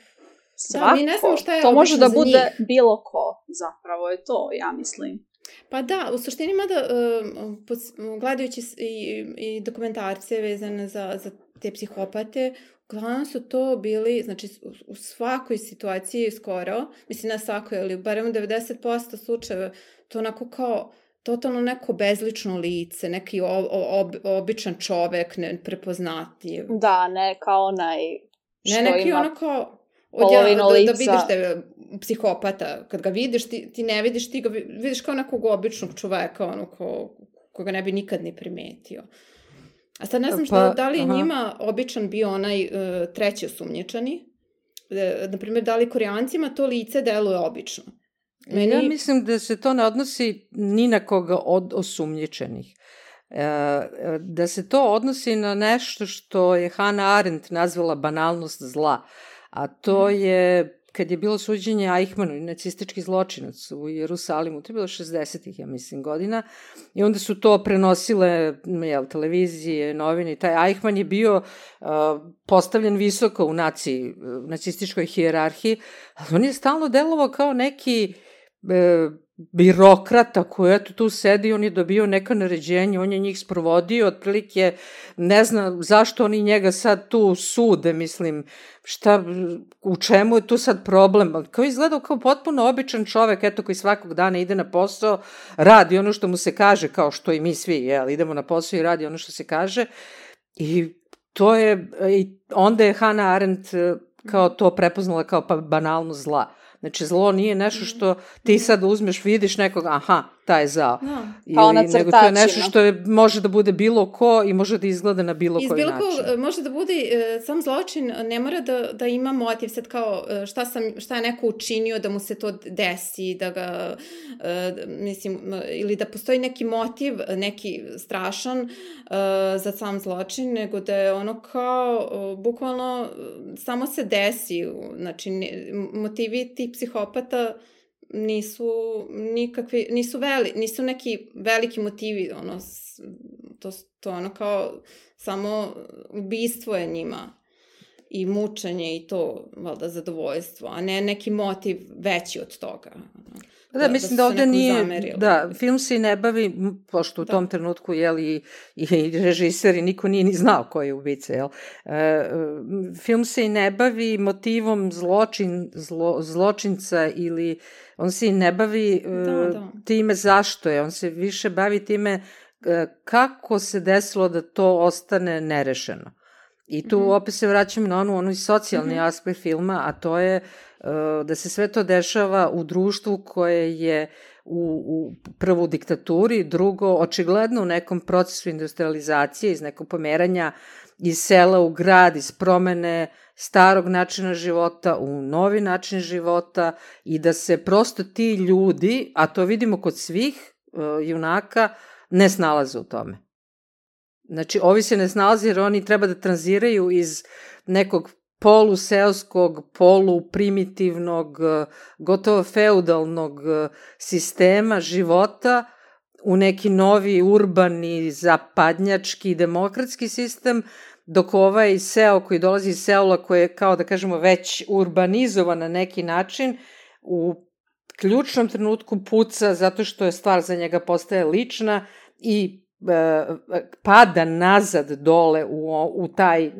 Svako. Da, mi ne znamo šta je to može da za bude njih. bilo ko, zapravo je to, ja mislim. Pa da, u suštini mada uh, gledajući i, i dokumentarce vezane za, za te psihopate, uglavnom su to bili, znači u svakoj situaciji skoro, mislim na svakoj, ali barem u devedeset posto slučajeva, to onako kao totalno neko bezlično lice, neki ob, ob, običan čovek, neprepoznatljiv. Da, ne kao onaj što ne, neki ima ono kao polovinu da, lica. da vidiš da je psihopata, kad ga vidiš, ti, ti ne vidiš, ti ga vidiš kao nekog običnog čoveka, ono ko, koga ne bi nikad ni primetio. A sad ne znam šta, pa, da li je aha. njima običan bio onaj uh, treći osumnjičani, e, naprimjer, da li Koreancima to lice deluje obično. Meni... Ja mislim da se to ne odnosi ni na koga od osumnjičenih. E, da se to odnosi na nešto što je Hannah Arendt nazvala banalnost zla, a to je kad je bilo suđenje Eichmannu, nacistički zločinac u Jerusalimu, to je bilo šezdesetih, ja mislim, godina, i onda su to prenosile jel, televizije, novine, i taj Eichmann je bio uh, postavljen visoko u naciji, nacističkoj hijerarhiji, ali on je stalno delovao kao neki uh, birokrata koji eto tu sedi, on je dobio neka naređenja, on je njih sprovodio, otprilike ne znam zašto oni njega sad tu sude, mislim, šta, u čemu je tu sad problem, ali kao izgledao kao potpuno običan čovek, eto koji svakog dana ide na posao, radi ono što mu se kaže, kao što i mi svi, jel, idemo na posao i radi ono što se kaže, i to je, i onda je Hannah Arendt kao to prepoznala kao pa banalnost zla. Znači, zlo nije nešto što ti sad uzmeš, vidiš nekog, aha, taj je zao. No. Kao na crtačima. Nego to je nešto što je, može da bude bilo ko i može da izgleda na bilo koji način. Iz bilo ko, može da bude, uh, sam zločin ne mora da, da ima motiv, sad kao uh, šta, sam, šta je neko učinio da mu se to desi, da ga, uh, mislim, uh, ili da postoji neki motiv, neki strašan uh, za sam zločin, nego da je ono kao, uh, bukvalno, uh, samo se desi, znači, ne, motivi tih psihopata nisu nikakvi, nisu veli, nisu neki veliki motivi, ono, to, to ono kao samo ubistvo je njima i mučenje i to, valjda, zadovoljstvo, a ne neki motiv veći od toga. Da, da mislim da, da ovde nije, zamerili. Da, film se i ne bavi, pošto u da. tom trenutku, jel, i, i režiser i niko nije ni znao ko je ubica, jel, e, film se i ne bavi motivom zločin, zlo, zločinca ili on se i ne bavi da, da. time zašto je, on se više bavi time kako se desilo da to ostane nerešeno. I tu mm-hmm. opet se vraćam na onu, onu socijalni mm-hmm. aspekt filma, a to je uh, da se sve to dešava u društvu koje je u, u prvo u diktaturi, drugo očigledno u nekom procesu industrializacije, iz nekog pomeranja iz sela u grad, iz promene starog načina života u novi način života i da se prosto ti ljudi, a to vidimo kod svih uh, junaka, ne snalaze u tome. Znači, ovi se ne snalaze jer oni treba da tranziraju iz nekog poluseoskog, poluprimitivnog, gotovo feudalnog sistema života u neki novi urbani, zapadnjački, demokratski sistem, dok ovaj seo koji dolazi iz Seula, koji je kao da kažemo već urbanizovan na neki način, u ključnom trenutku puca zato što je stvar za njega postaje lična i pada nazad dole u, u taj,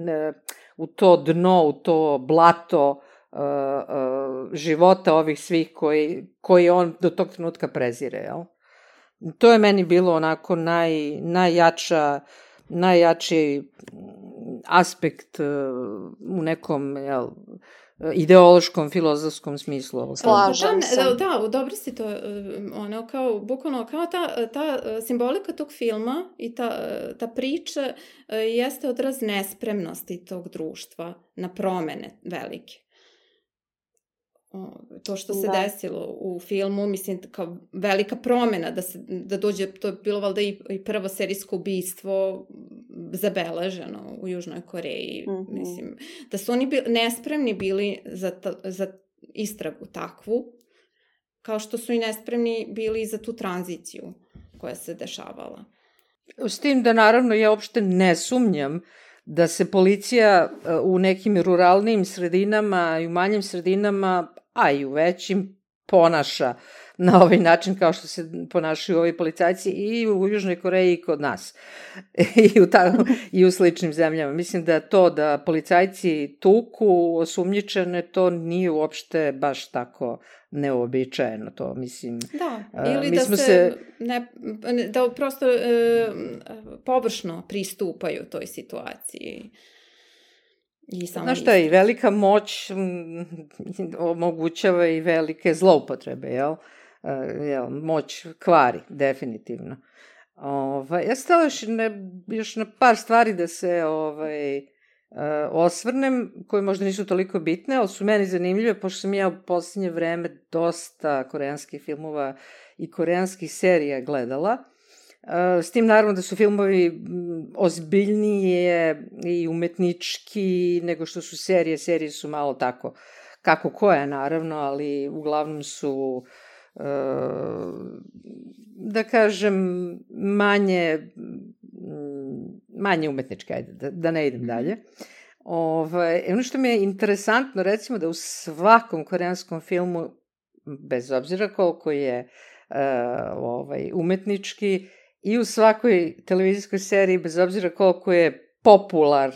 u to dno, u to blato uh, uh, života ovih svih koji, koji on do tog trenutka prezire, jel? To je meni bilo onako naj, najjača, najjači aspekt uh, u nekom, jel, ideološkom, filozofskom smislu. Slažem se. Da, da, dobro si to, ono, kao, bukvalno, kao ta, ta simbolika tog filma i ta, ta priča jeste odraz nespremnosti tog društva na promene velike. To što se da. desilo u filmu, mislim, kao velika promena, da, se, da dođe, to je bilo valjda i, i prvo serijsko ubistvo zabeleženo u Južnoj Koreji, mm-hmm. mislim, da su oni bili, nespremni bili za, ta, za istragu takvu, kao što su i nespremni bili za tu tranziciju koja se dešavala. S tim da naravno ja uopšte ne sumnjam da se policija u nekim ruralnim sredinama i u manjim sredinama, a i u većim, ponaša na ovaj način kao što se ponašaju ovi policajci i u Južnoj Koreji i kod nas. I u, ta, i u sličnim zemljama. Mislim da to da policajci tuku osumnjičene, to nije uopšte baš tako neobičajeno. To, mislim, da, ili mi da smo se, se... Ne, da prosto e, površno pristupaju toj situaciji. Znaš šta, i velika moć omogućava i velike zloupotrebe, jel? Jel, moć kvari, definitivno. Ovaj, ja stala još, ne, još na par stvari da se ovaj, osvrnem, koje možda nisu toliko bitne, ali su meni zanimljive, pošto sam ja u posljednje vreme dosta koreanskih filmova i koreanskih serija gledala. S tim naravno da su filmovi ozbiljnije i umetnički nego što su serije. Serije su malo tako, kako koja naravno, ali uglavnom su, da kažem, manje, manje umetničke, ajde, da, da ne idem dalje. Ovaj, ono što mi je interesantno, recimo da u svakom koreanskom filmu, bez obzira koliko je ovaj, umetnički, i u svakoj televizijskoj seriji, bez obzira koliko je popular,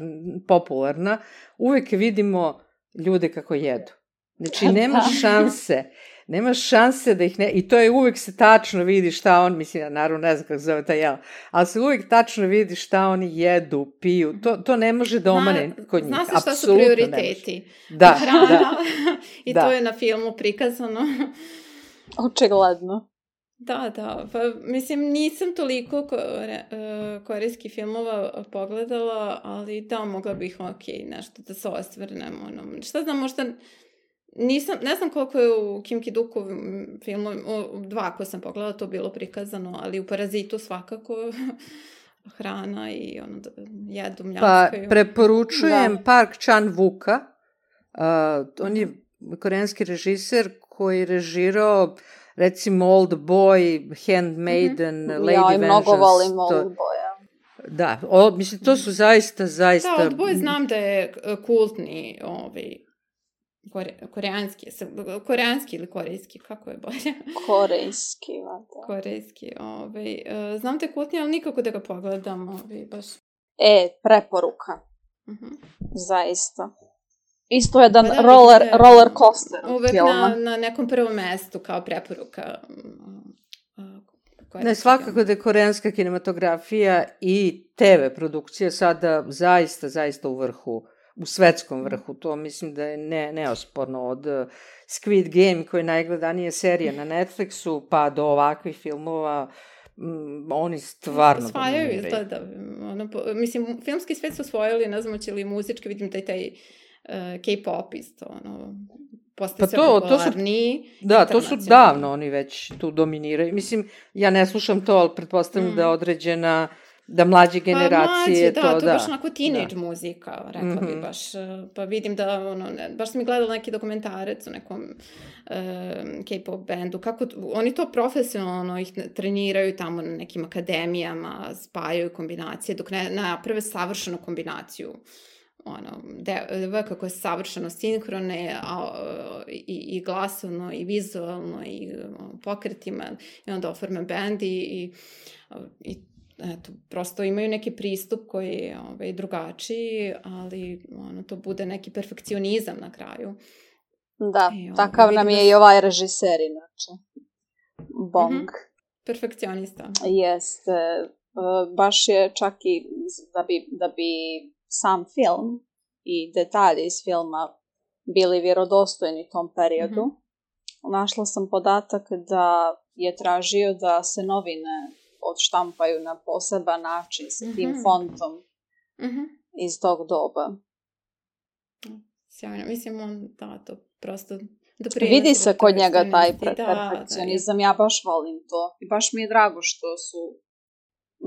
popularna, uvek vidimo ljude kako jedu. Znači, nema šanse, nema šanse da ih ne... I to je uvek se tačno vidi šta on, mislim, ja naravno ne znam kako zove taj jel, ali se uvek tačno vidi šta oni jedu, piju. To, to ne može da omane kod njih. Zna se šta su prioriteti. Da, hrana, da. I da. to je na filmu prikazano. Očigledno. Da, da, pa mislim nisam toliko kore, uh, korejskih filmova pogledala, ali da, mogla bih ok, nešto da se osvrnem, ono, šta znam, možda nisam, ne znam koliko je u Kim Ki-duku filmu, u dva koje sam pogledala, to bilo prikazano, ali u Parazitu svakako hrana i ono, jedu, mljaskaju. Pa, preporučujem da. Park Chan-wooka, uh, on je koreanski režiser koji je režirao recimo Old Boy, Handmaiden, mm-hmm. Lady ja, Vengeance. Ja mnogo volim Old Boya. Da, o, mislim, to su zaista, zaista... Da, Old Boy znam da je kultni, ovaj, kore, koreanski, koreanski ili korejski, kako je bolje? Korejski, vada. Korejski, ovaj, znam da je kultni, ali nikako da ga pogledam, ovaj, baš. E, preporuka. Uh-huh. Zaista. Isto jedan pa da, roller, je, roller coaster uvek filma. na, na nekom prvom mestu kao preporuka. Ne, svakako da je koreanska kinematografija i te ve produkcija sada zaista, zaista u vrhu, u svetskom vrhu. To mislim da je ne, neosporno od Squid Game, koja je najgledanija serija na Netflixu, pa do ovakvih filmova. Mm, oni stvarno osvajaju izgleda. Ono, mislim, filmski svet su osvojili, ne znam, će li muzički, vidim taj taj uh, K-pop isto, ono, postaje sve to, popularniji. To su, da, to su davno oni već tu dominiraju. Mislim, ja ne slušam to, ali pretpostavljam mm. da određena, da mlađe generacije pa, mlađe, to, da. To da. je baš onako teenage da. Muzika, rekla mm-hmm. bi baš. Pa vidim da, ono, ne, baš sam i gledala neki dokumentarec o nekom uh, K-pop bendu, kako oni to profesionalno ih treniraju tamo na nekim akademijama, spajaju kombinacije, dok ne naprave savršenu kombinaciju. Ono, de, kako je savršeno sinhrone a, i, i glasovno i vizualno i o, pokretima i onda oforme bend i, i, i eto, prosto imaju neki pristup koji je ovaj, drugačiji, ali ono, to bude neki perfekcionizam na kraju. Da, I, ovaj, takav nam je da... i ovaj režiser inače. Bong. Mm-hmm. Perfekcionista. Jeste. Baš je čak i da bi, da bi sam film i detalji iz filma bili vjerodostojni tom periodu. Mm-hmm. Našla sam podatak da je tražio da se novine odštampaju na poseban način sa tim mm-hmm. fontom mm-hmm. iz tog doba. Sjajno, mislim on da to prosto vidi se kod njega taj pre- da, perfekcionizam, da, ja baš volim to i baš mi je drago što su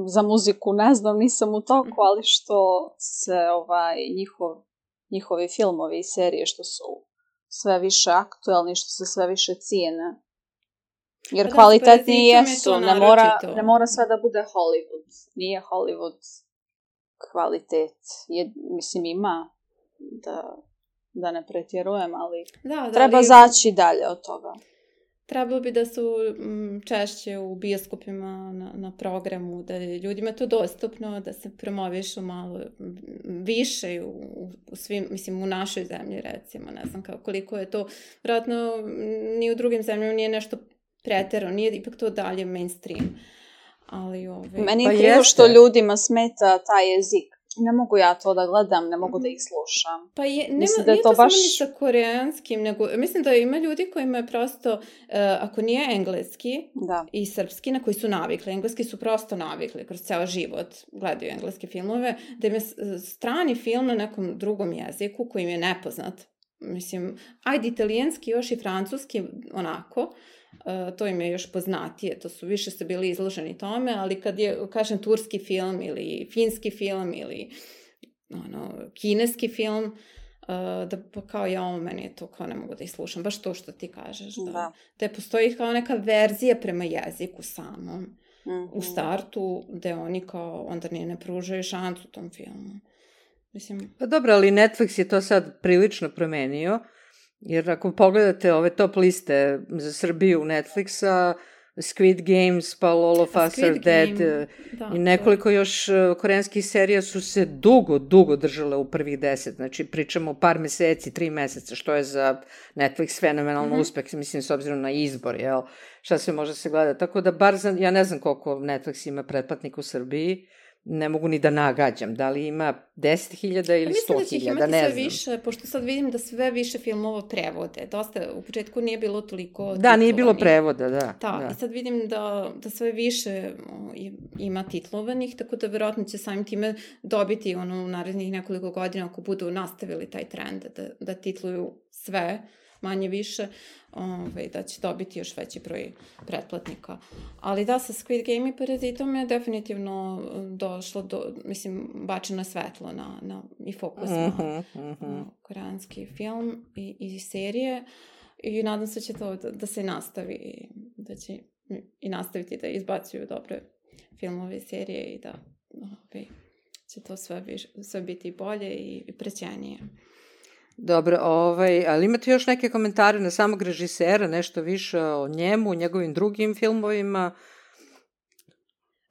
za muziku, ne znam, nisam u toku, mm-hmm. ali što se ovaj, njihov, njihovi filmovi i serije što su sve više aktuelni, što se sve više cijene. Jer da, kvalitetniji jesu, ne mora, ne mora sve da bude Hollywood. Nije Hollywood kvalitet. Je, mislim, ima, da, da ne pretjerujem, ali Da, da, treba ali zaći dalje od toga. trebalo bi da su mm, češće u bioskopima na, na programu, da je ljudima to dostupno, da se promovišu malo više u, u svim, mislim, u našoj zemlji, recimo, ne znam kao, koliko je to, vjerojatno ni u drugim zemljama nije nešto pretjerano, nije ipak to dalje mainstream. Ali ove... Meni je Pa krivo jeste. što ljudima smeta taj jezik. Ne mogu ja to da gledam, ne mogu da ih slušam. Pa je, nema, Mislim da je nije to to samo baš- ni sa koreanskim, nego mislim da ima ljudi kojima je prosto, uh, ako nije engleski Da. i srpski, na koji su navikli, engleski su prosto navikli kroz ceo život, gledaju engleske filmove, da im je s- strani film na nekom drugom jeziku koji im je nepoznat. Mislim, ajde italijanski, još i francuski, onako, Uh, to im je još poznatije, to su više su bili izloženi tome, ali kad je, kažem, turski film ili finski film ili ono, kineski film, uh, da pa kao ja, ovo meni je to kao ne mogu da ih slušam, baš to što ti kažeš, da, Da. da postoji kao neka verzija prema jeziku samom Mhm. u startu, gde oni kao onda ni ne pružaju šansu tom filmu. Mislim, Pa dobro, ali Netflix je to sad prilično promenio, jer ako pogledate ove top liste za Srbiju Netflixa, Squid Games, pa All of Us Are Squid Dead Game, da, i nekoliko još e, koreanskih serija su se dugo, dugo držale u prvih deset. Znači, pričamo o par meseci, tri meseca, što je za Netflix fenomenalno Mhm. uspeh, mislim, s obzirom na izbor, jel? Šta sve može se gledati. Tako da, bar za, ja ne znam koliko Netflix ima pretplatnika u Srbiji, ne mogu ni da nagađam. Da li ima deset hiljada ili sto mislim da će ih hiljada, imati ne sve znam. više, pošto sad vidim da sve više filmova prevode. Dosta, u početku nije bilo toliko Da, nije bilo titlovanih. prevoda, da. Da, da. i sad vidim da, da sve više o, i- ima titlovanih, tako da verovatno će samim time dobiti ono u narednih nekoliko godina ako budu nastavili taj trend da, da titluju sve, manje više, ovaj, da će dobiti još veći broj pretplatnika. Ali da, sa Squid Game i Parazitom je definitivno došlo do, mislim, bačeno svetlo na, na, i fokus na Mhm, mhm. uh, koreanski film i, i serije i nadam se će to da, da se nastavi i da će i nastaviti da izbacuju dobre filmove i serije i da ovaj, će to sve, više, sve biti bolje i, i prećenije. Dobro, ovaj, ali imate još neke komentare na samog režisera, nešto više o njemu, njegovim drugim filmovima?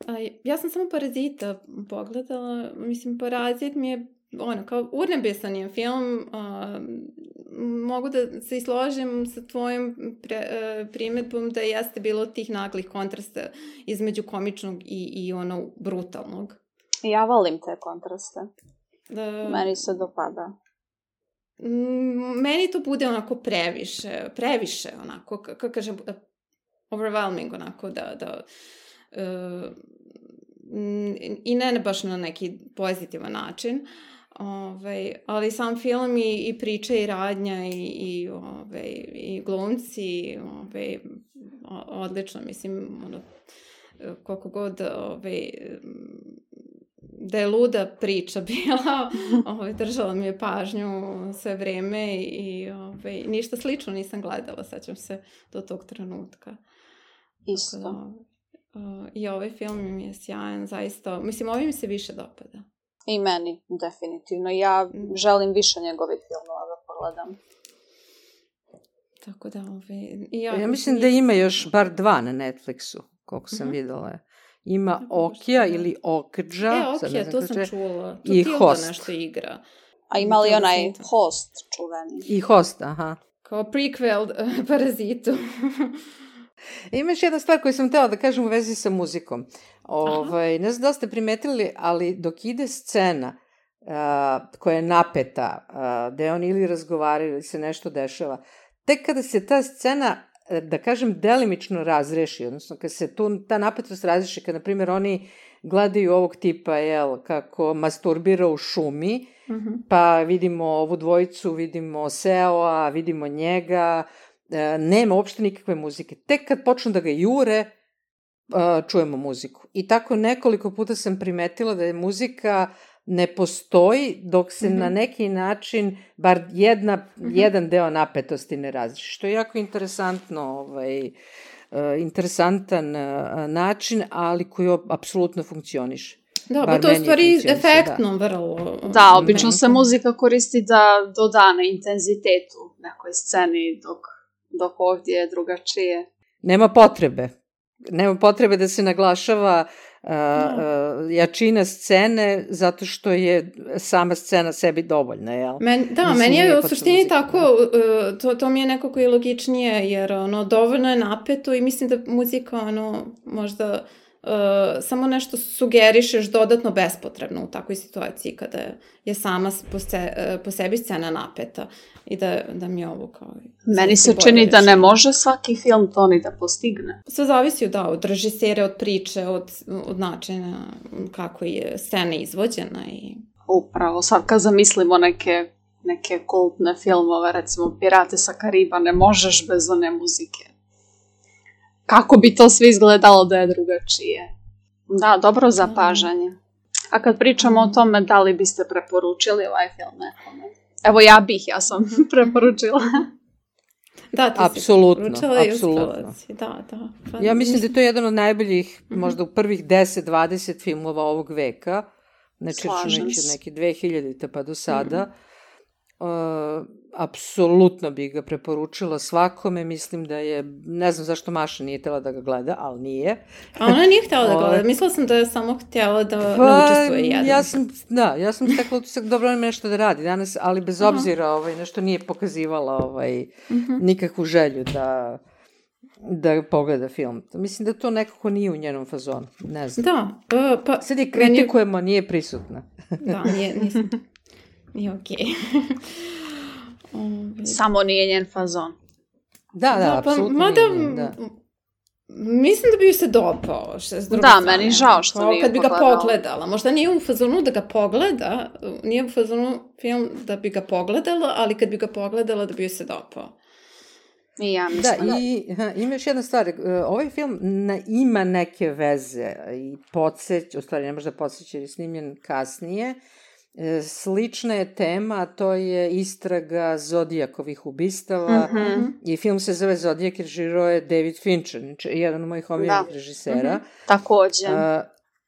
A, ja sam samo Parazita pogledala, mislim Parazit mi je ono, kao urnebesan je film, a, mogu da se i složim sa tvojim pre, a, primjedbom da jeste bilo tih naglih kontrasta između komičnog i, i ono brutalnog. Ja volim te kontraste. Da, Meni se dopada. Mm, meni to bude onako previše, previše onako, kako kažem, overwhelming onako, da, da uh, i ne baš na neki pozitivan način, ovaj, ali sam film i, i priča i radnja i, i, ovaj, i glumci, ovaj, odlično, mislim, ono, koliko god, ovaj, da je luda priča bila, ovaj, držala mi je pažnju sve vreme i ovaj, ništa slično nisam gledala, sećam se do tog trenutka. Isto. Tako da, uh, i ovaj film mi je sjajan, zaista, mislim, ovaj mi se više dopada. I meni, definitivno. Ja želim više njegovih filmova da pogledam. Tako da, ovaj, i ja, Ja mislim da ima još bar dva na Netflixu, koliko sam Mhm. videla. Ima Tako da Okija što da. ili Okdža. E, sad ok, ne znam to kako sam se- čula. i To Tilda Host. nešto igra. A ima li Tilda onaj Swinton. host čuveni? I Host, aha. Kao prequel uh, Parazitu. Ima još jedna stvar koju sam htjela da kažem u vezi sa muzikom. Ovaj, ne znam da li ste primetili, ali dok ide scena uh, koja je napeta, uh, gde oni ili razgovaraju ili se nešto dešava, tek kada se ta scena, da kažem, delimično razreši, odnosno kada se tu, ta napetost razreši, kada, na primjer, oni gledaju ovog tipa, jel, kako masturbira u šumi, Mhm. pa vidimo ovu dvojicu, vidimo Seoa, vidimo njega, e, nema uopšte nikakve muzike. Tek kad počnu da ga jure, e, čujemo muziku. I tako nekoliko puta sam primetila da je muzika ne postoji dok se Mhm. na neki način bar jedna, jedan deo napetosti ne razreši. Što je jako interesantno, ovaj, e, interesantan e, način, ali koji apsolutno funkcioniše. Da, Bar pa to je u meni stvari funkcioniše, efektno da. vrlo. Da, obično se meni. muzika koristi da doda na intenzitetu nekoj sceni, dok, dok ovdje je drugačije. Nema potrebe. Nema potrebe da se naglašava uh, uh, jačina scene zato što je sama scena sebi dovoljna, jel? Men, da, Mislim, meni nije je u potrebno suštini muzika, tako, uh, to, to mi je nekako i logičnije, jer ono, dovoljno je napeto i mislim da muzika ono, možda uh, samo nešto sugerišeš dodatno bespotrebno u takvoj situaciji kada je sama po, se, uh, po sebi scena napeta i da, da mi je ovo kao... Meni se čini da ne može svaki film to ni da postigne. Sve zavisi da, od režisere, od priče, od, od načina kako je scena izvođena i... Upravo, sad kad zamislimo neke, neke kultne filmove, recimo Pirate sa Kariba, ne možeš bez one muzike. Kako bi to sve izgledalo da je drugačije? Da, dobro zapažanje. A kad pričamo o tome, da li biste preporučili ovaj film nekome? Evo ja bih, ja sam preporučila. Da, ti apsolutno, si preporučila i apsolutno. uspela si. Da, da. Pa, Ja mislim da je to jedan od najboljih, Mhm. možda u prvih deset dvadeset filmova ovog veka, znači Slažem računajući se. neke dve hiljadite pa do sada. Uh, apsolutno bih ga preporučila svakome, mislim da je, ne znam zašto Maša nije htjela da ga gleda, ali nije. A ona nije htjela da Ovaj. gleda. Mislila sam da je samo htjela da ne Pa, učestvuje jedan. ja sam, da, ja sam stekla utisak, dobro ima nešto da radi danas, ali bez Aha. obzira, ovaj, nešto nije pokazivala ovaj, Mhm. nikakvu želju da, da pogleda film. Mislim da to nekako nije u njenom fazonu, ne znam. Da, pa... pa Sad je meni- kritikujemo, nije prisutna. Da, nije, nisam... Nije okej. Ovaj. Samo nije njen fazon. Da, da, Da, pa, apsolutno mada, nije, da. mislim da bi joj se dopao. Što, s druge Da, strane. meni žao što Kao nije kad bi ga pogledala. pogledala. Možda nije u fazonu da ga pogleda, nije u fazonu film da bi ga pogledala, ali kad bi ga pogledala da bi joj se dopao. I ja Da, mislim. i ha, ima još jedna stvar, e, ovaj film na, ima neke veze i podsjeć, u stvari ne može da podsjeća jer je snimljen kasnije. E, slična je tema, a to je istraga Zodijakovih ubistava Mhm. i film se zove Zodijak, režirao je David Fincher, znači jedan od mojih omiljenih Da. režisera. Također. A,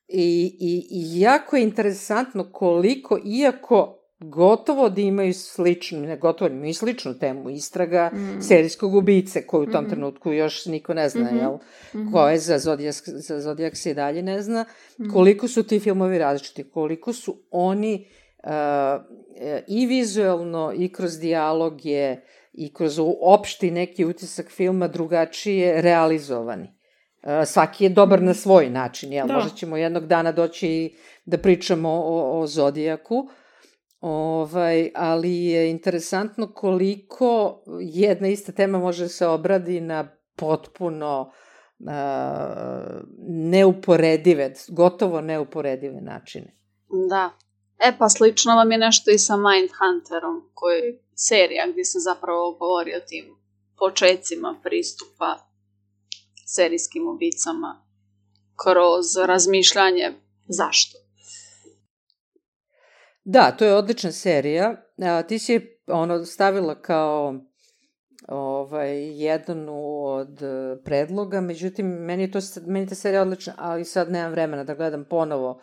i, i, I jako je interesantno koliko, iako gotovo da imaju sličnu, ne gotovo, imaju sličnu temu, istraga Mm. serijskog ubice, koju u tom Mhm. trenutku još niko ne zna, Mhm. jel? Mhm. Ko je za Zodijak, za Zodijak se i dalje ne zna. Mhm. Koliko su ti filmovi različiti, koliko su oni uh, i vizuelno i kroz dijaloge i kroz opšti neki utisak filma drugačije realizovani. Uh, svaki je dobar na svoj način, jel? Da. Možda ćemo jednog dana doći i da pričamo o, o Zodijaku, ovaj, ali je interesantno koliko jedna ista tema može da se obradi na potpuno uh, neuporedive, gotovo neuporedive načine. Da. E pa slično vam je nešto i sa Mindhunterom, koji je serija gdje se zapravo govori o tim počecima pristupa serijskim ubicama kroz razmišljanje zašto. Da, to je odlična serija. A, ti si je ono, stavila kao ovaj, jednu od e, predloga, međutim, meni je to, meni je ta serija odlična, ali sad nemam vremena da gledam ponovo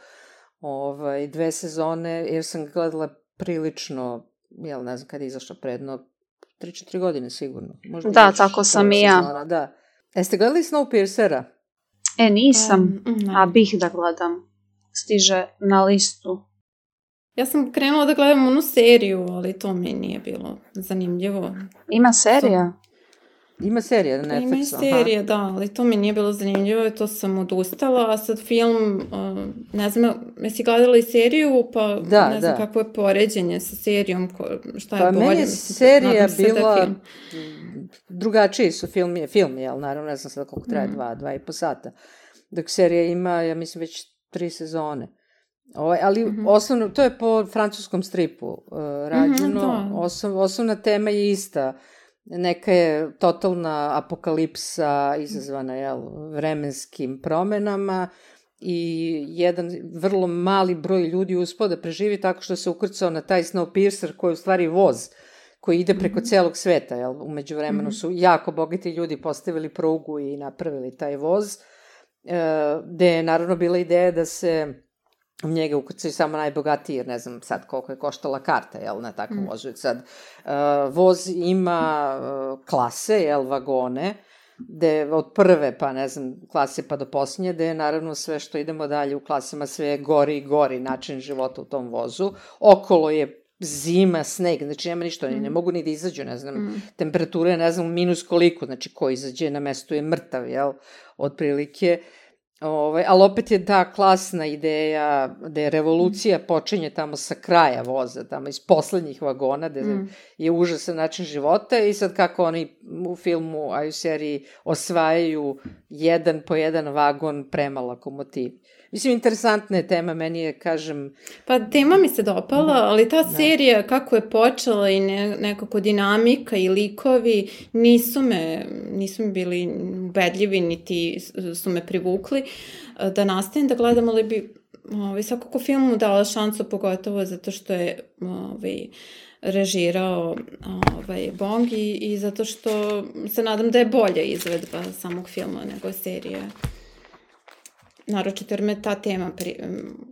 ovaj, dve sezone, jer sam gledala prilično, jel ne znam kada je izašla predno, tri četiri godine sigurno. Možda Da, još tako sam prva i ja. sezona, da. Jeste gledali Snowpiercera? E, nisam, Um, ne. a bih da gledam. Stiže na listu. Ja sam krenula da gledam onu seriju, ali to mi nije bilo zanimljivo. Ima serija? Ima serija na Pa ima i Netflixu. aha. serije, da, ali to mi nije bilo zanimljivo i to sam odustala, a sad film, uh, ne znam, jesi gledala i seriju, pa Da, ne znam da. kakvo je poređenje sa serijom, ko, šta je Pa bolje. meni je mislim, serija nadam se da je bila, film. drugačiji su film, je film, jel, naravno, ne znam sada koliko traje, Mhm. dva, dva i po sata. Dok serija ima, ja mislim, već tri sezone. Ovaj, ali Mhm. osnovno, to je po francuskom stripu uh, rađeno, da. Osnov, osnovna tema je ista. Neka je totalna apokalipsa izazvana, jel, vremenskim promenama i jedan vrlo mali broj ljudi uspao da preživi tako što se ukrcao na taj Snowpiercer koji je u stvari voz koji ide preko Mhm. celog sveta, jel, umeđu vremenu Mhm. su jako bogati ljudi postavili prugu i napravili taj voz, e, gde je naravno bila ideja da se u njega ukucaju samo najbogatiji, jer ne znam sad koliko je koštala karta, jel, na takvom mm. vozu. Sad, uh, voz ima uh, klase, jel, vagone, gde od prve, pa ne znam, klase pa do posljednje, gde je naravno sve što idemo dalje u klasama, sve je gori i gori način života u tom vozu. Okolo je zima, sneg, znači nema ništa, oni mm. ne mogu ni da izađu, ne znam, mm. temperature, ne znam, minus koliko, znači ko izađe na mestu je mrtav, jel, otprilike. Ovaj, ali opet je ta klasna ideja da je revolucija počinje tamo sa kraja voza, tamo iz poslednjih vagona, da mm. je užasan način života i sad kako oni u filmu, a i u seriji osvajaju jedan po jedan vagon prema lokomotivi. Mislim, interesantna je tema, meni je, kažem... Pa tema mi se dopala, ali ta serija da. Kako je počela i ne, nekako dinamika i likovi nisu me, nisu mi bili ubedljivi, niti su me privukli da nastavim da gledam, ali bi ovaj, svakako filmu dala šansu, pogotovo zato što je ovaj, režirao ovaj, Bong i, i zato što se nadam da je bolja izvedba samog filma nego serije. Naročito jer me ta tema pri,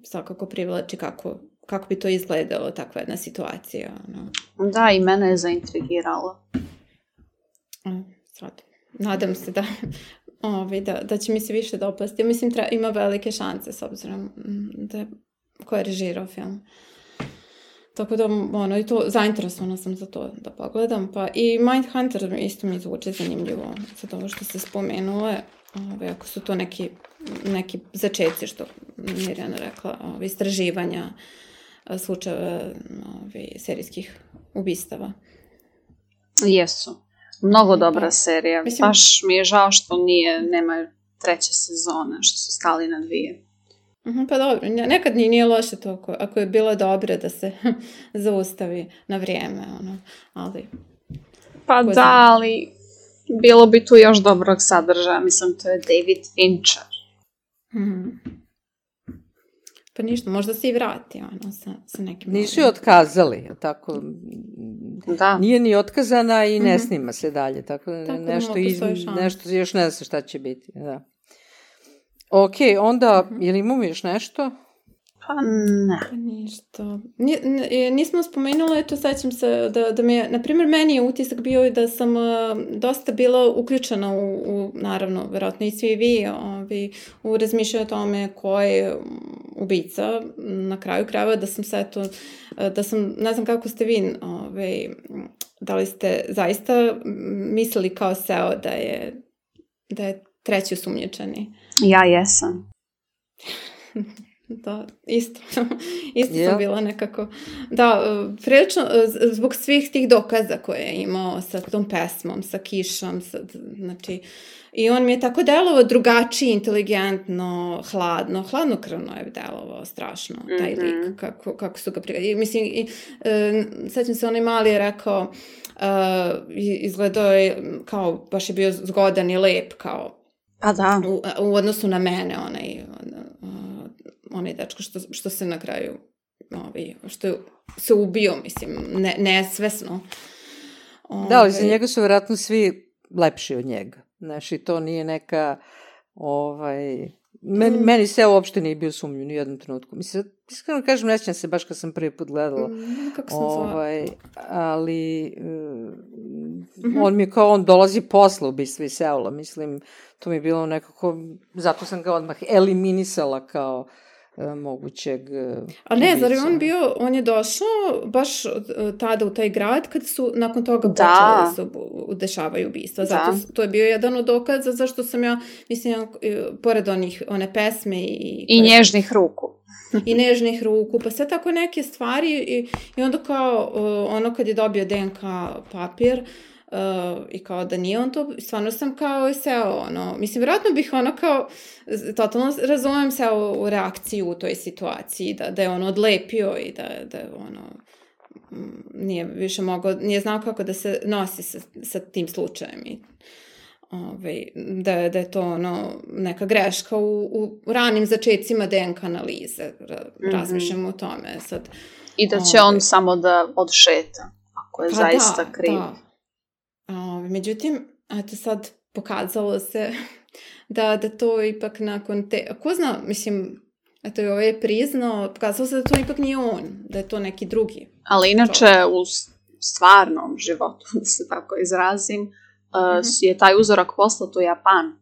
svakako privlači kako, kako bi to izgledalo, takva jedna situacija. No. Da, i mene je zaintrigiralo. Sad, nadam se da, ovi, da, da će mi se više dopasti. Ja mislim, treba, ima velike šanse s obzirom da ko je režirao film. Tako da, ono, i to, zainteresovana sam za to da pogledam. Pa i Mindhunter isto mi zvuči zanimljivo, sad ovo što ste spomenule. Ove, ako su to neki, neki začeci, što Mirjana rekla, ove, istraživanja slučajeva ove, serijskih ubistava. Jesu. Mnogo dobra serija. Mislim, baš mi je žao što nije, nema treće sezone, što su stali na dvije. Uh-huh, pa dobro, nekad nije loše to ako, ako je bilo dobro da se zaustavi na vrijeme, ono, ali... Pa da, znam. Ali... Bilo bi tu još dobrog sadržaja, mislim, to je David Fincher. Mm. Pa ništa, možda se i vrati, ono, sa, sa nekim... Nisu je otkazali, tako... Da. Nije ni otkazana i ne snima se dalje, tako, tako nešto, iz, nešto, još ne zna šta će biti, da. Ok, onda, mm-hmm. je li imamo još nešto? Pa ne. Pa ništa. Nismo spomenuli, eto, sećam se da, da mi je, na primjer, meni je utisak bio da sam uh, dosta bila uključena u, u naravno, verovatno i svi vi, ovi, u razmišljaju o tome ko je ubica, na kraju krajeva, da sam se, eto, da sam, ne znam kako ste vi, ovi, da li ste zaista mislili kao S E O da je, da je treći osumnjičeni? Ja jesam. Da, isto. Isto yeah. sam bila nekako... Da, prilično, zbog svih tih dokaza koje je imao sa tom pesmom, sa kišom, sa, znači... I on mi je tako delovao drugačije, inteligentno, hladno, hladnokrvno je delovao strašno, taj lik, mm-hmm. kako, kako su ga prigledali. Mislim, i, e, sećam se, onaj mali je rekao, e, izgledao je kao, baš je bio zgodan i lep, kao... A da. U, u odnosu na mene, onaj... onaj dečko što, što se na kraju ovaj, što se ubio, mislim, ne, nesvesno. Ovaj... Da, ali za njega su vjerojatno svi lepši od njega. Znači, to nije neka ovaj... Meni, mm. meni se uopšte nije bio sumnju ni u jednom trenutku. Mislim, iskreno kažem, ne sjećam se baš kad sam prvi put gledala. Mm, kako sam ovaj, ali mm-hmm. on mi je kao, on dolazi posle ubistva iz Seula. Mislim, to mi je bilo nekako, zato sam ga odmah eliminisala kao mogućeg A ne, zar je on bio, on je došao baš tada u taj grad kad su nakon toga počeli da se dešavaju ubistva. Zato da. To je bio jedan od dokaza zašto sam ja, mislim, pored onih, one pesme i... I nježnih ruku. I nežnih ruku, pa sve tako neke stvari i, i onda kao ono kad je dobio D N K papir, Uh, i kao da nije on to, stvarno sam kao seo, ono, mislim, vjerojatno bih ono kao, totalno razumem se u, u reakciju u toj situaciji, da, da je on odlepio i da, da je ono, nije više mogao, nije znao kako da se nosi sa, sa tim slučajem i ovaj, da, da je to ono, neka greška u, u ranim začecima D N K analize, Ra, mm-hmm. razmišljamo o tome sad. I da će ovaj, on samo da odšeta, ako je pa zaista da, kriv. Da. O, međutim, eto sad pokazalo se da, da to ipak nakon te, ko zna, mislim, Eto i ovaj je priznao, pokazalo se da to ipak nije on, da je to neki drugi. Ali inače u stvarnom životu, da se tako izrazim, uh-huh. uh, je taj uzorak poslat u Japan,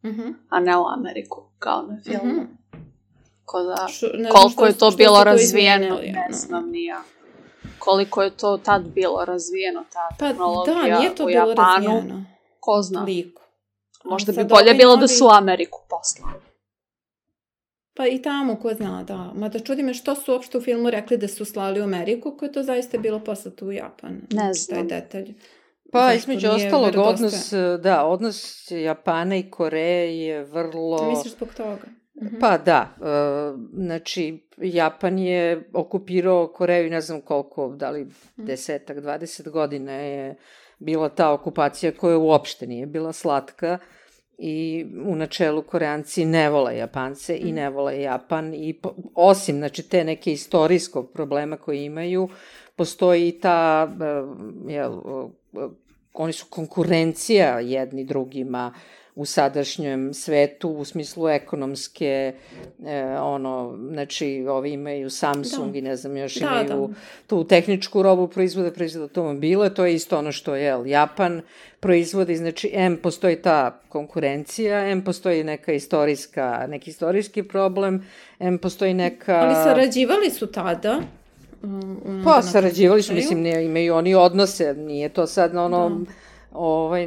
uh-huh. a ne u Ameriku, kao na filmu. Uh-huh. Ko da, Šu, koliko što, je to bilo to razvijeno, izmijenili, ne znam no. ni ja. Koliko je to tad bilo razvijeno, ta pa, tehnologija da, nije to u bilo Japanu, razvijeno. Ko zna. Liku. Možda bi bolje bilo novi... da su u Ameriku poslali. Pa i tamo, ko zna, da. Mada čudi me što su uopšte u filmu rekli da su slali u Ameriku, koje to zaista bilo poslato u Japan. Ne znam. Taj detalj. Pa, između ostalog, odnos, da, odnos Japana i Koreje je vrlo... Misliš zbog toga? Uh-huh. Pa da, uh, znači Japan je okupirao Koreju, ne znam koliko, da li desetak, dvadeset godina je bila ta okupacija koja uopšte nije bila slatka i u načelu Koreanci ne vole Japance uh-huh. i ne vole Japan i po, osim znači te neke istorijskog problema koje imaju, postoji i ta, uh, jel, uh, oni su konkurencija jedni drugima u sadašnjem svetu, u smislu ekonomske, e, ono, znači, ovi imaju Samsung da. i ne znam, još da, imaju da. tu tehničku robu, proizvode, proizvode automobile, to je isto ono što je Japan proizvodi, znači, M postoji ta konkurencija, M postoji neka istorijska, neki istorijski problem, M postoji neka... Ali sarađivali su tada? Um, pa, sarađivali su, mislim, ne, imaju oni odnose, nije to sad ono, da. ovaj...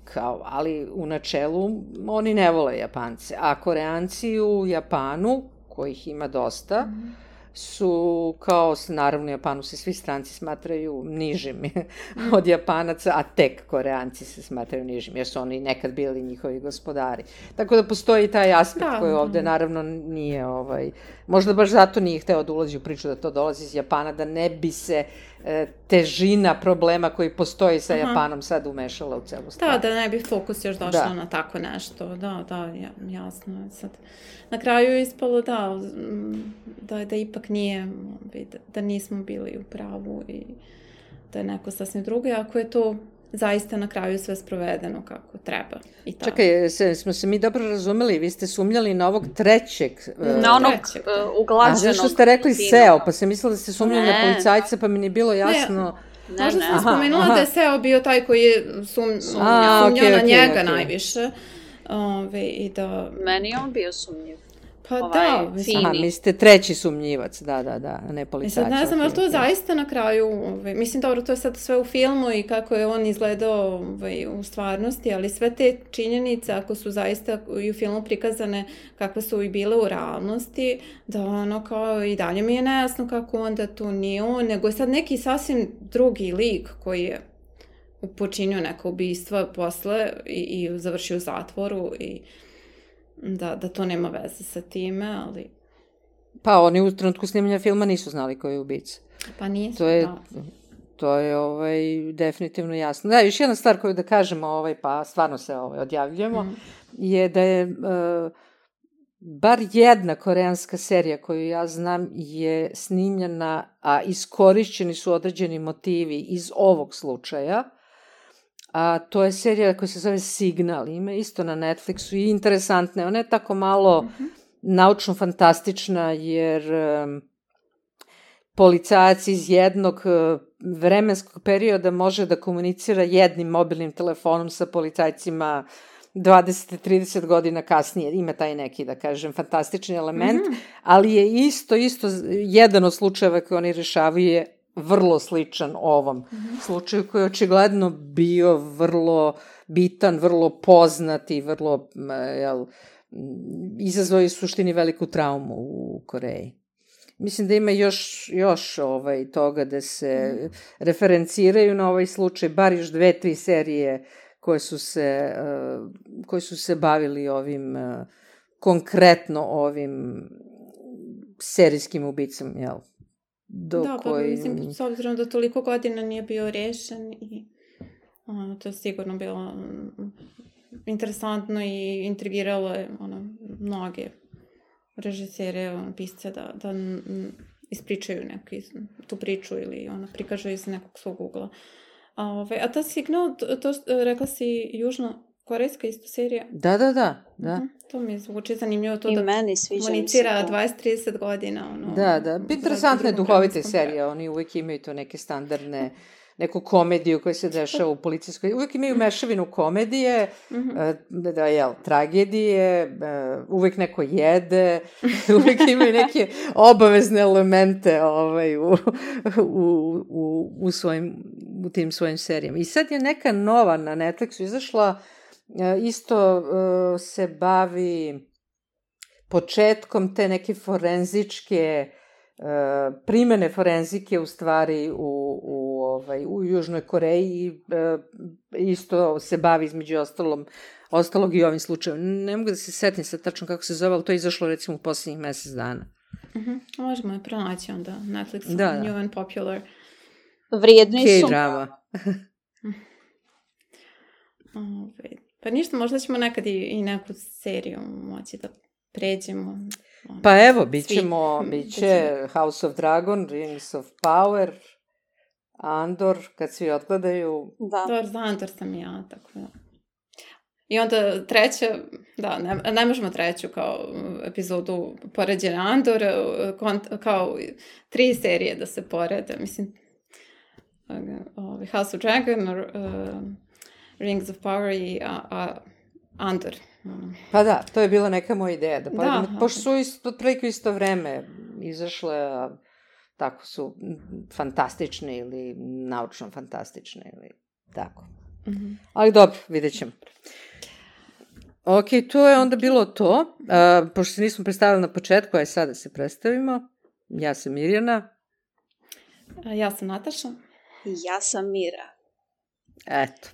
Kao, ali u načelu oni ne vole Japance, a Koreanci u Japanu, kojih ima dosta, mm. su kao, naravno u Japanu se svi stranci smatraju nižim mm. od Japanaca, a tek Koreanci se smatraju nižim, jer su oni nekad bili njihovi gospodari. Tako da postoji taj aspekt da, koji ovde naravno nije, ovaj, možda baš zato nije hteo da ulazi u priču da to dolazi iz Japana, da ne bi se težina problema koji postoji sa Aha. Japanom sad umešala u celu stvar. Da, da ne bi fokus još došao da. na tako nešto. Da, da, ja, jasno je sad. Na kraju je ispalo da, da, da ipak nije, da, da nismo bili u pravu i da je neko sasvim drugo, ako je to zaista na kraju sve sprovedeno kako treba. I tako. Čekaj, se, smo se mi dobro razumeli, vi ste sumnjali na ovog trećeg... Na onog trećeg, uh, uglađenog... A zašto ste rekli Seo, pa sam mislila da ste sumnjali ne, na policajca, pa mi nije bilo jasno... Ne, možda sam spomenula aha. da je Seo bio taj koji je sum, sumnjao A, okay, na okay, njega okay. najviše. Ove, i da... Meni je on bio sumnjiv. Pa ovaj, da, mislim. Aha, mi ste treći sumnjivac, da, da, da, ne policajac. Sad ne znam, okay, ali to okay. zaista na kraju, ovaj, mislim, dobro, to je sad sve u filmu i kako je on izgledao ovaj, u stvarnosti, ali sve te činjenice, ako su zaista i u filmu prikazane kakve su i bile u realnosti, da ono kao i dalje mi je nejasno kako onda to nije on, nego je sad neki sasvim drugi lik koji je počinio neka ubistva posle i, i završio u zatvoru i Da, da to nema veze sa time, ali... Pa oni u trenutku snimanja filma nisu znali ko je ubica. Pa nisu, to je, da. To je ovaj, definitivno jasno. Da, još jedna stvar koju da kažemo, ovaj, pa stvarno se ovaj, odjavljujemo, mm. je da je uh, bar jedna koreanska serija koju ja znam je snimljena, a iskorišćeni su određeni motivi iz ovog slučaja, a to je serija koja se zove Signal, ima isto na Netflixu i interesantna. Ona je tako malo mm-hmm. naučno-fantastična jer um, policajac iz jednog uh, vremenskog perioda može da komunicira jednim mobilnim telefonom sa policajcima dvadeset trideset godina kasnije. Ima taj neki, da kažem, fantastični element, mm-hmm. ali je isto, isto jedan od slučajeva koje oni rešavaju je vrlo sličan ovom mm-hmm. slučaju koji je očigledno bio vrlo bitan, vrlo poznat i vrlo, jel, izazvao je u suštini veliku traumu u Koreji. Mislim da ima još, još ovaj, toga da se mm. referenciraju na ovaj slučaj, bar još dve, tri serije koje su se, uh, koje su se bavili ovim, uh, konkretno ovim serijskim ubicom, jel? Do da, koji... pa mislim, s obzirom da toliko godina nije bio rešen i ono, to je sigurno bilo interesantno i intrigiralo je ono, mnoge režisere, ono, pisce da, da ispričaju neku tu priču ili ono, prikažu iz nekog svog ugla. A, ove, a ta Signal, to, to rekla si Južna korejska isto serija. Da, da, da. da. Uh-huh. To mi zvuči zanimljivo. To I da meni sviđa komunicira dvadeset do trideset godina. Ono, da, da. Interesantne duhovite serije. Oni uvijek imaju to neke standardne, neku komediju koja se dešava u policijskoj. Uvijek imaju mešavinu komedije, uh-huh. da, jel, tragedije, uvijek neko jede, uvijek imaju neke obavezne elemente ovaj, u, u, u, u, svojim, u tim svojim serijama. I sad je neka nova na Netflixu izašla, isto se bavi početkom te neke forenzičke primene forenzike u stvari u, u, ovaj, u Južnoj Koreji i isto se bavi između ostalom, ostalog i ovim slučajem. Ne mogu da se setim sad tačno kako se zove, ali to je izašlo recimo u posljednjih mesec dana. Uh-huh. Možemo je pronaći onda Netflix, da, da. New and Popular. Vrijedni su. K-drama. Ove, pa ništa, možda ćemo nekad i, i neku seriju moći da pređemo. Ono, pa evo, bit ćemo, bit će House of Dragon, Rings of Power, Andor, kad svi odgledaju. Da. Dobar, za Andor sam ja, tako da. I onda treća, da, ne, ne možemo treću kao epizodu poređenja Andor, kao tri serije da se porede, mislim, House of Dragon, uh, Rings of Power i uh, uh, Andor. Pa da, to je bila neka moja ideja, da poredimo, da, pošto su isto, otprilike isto vreme izašle, a tako su fantastične ili naučno fantastične ili tako. Mm-hmm. Ali dobro, vidjet ćemo. Ok, to je onda bilo to. A, pošto se nismo predstavili na početku, aj sada se predstavimo. Ja sam Mirjana. A ja sam Nataša. I ja sam Mira. Eto.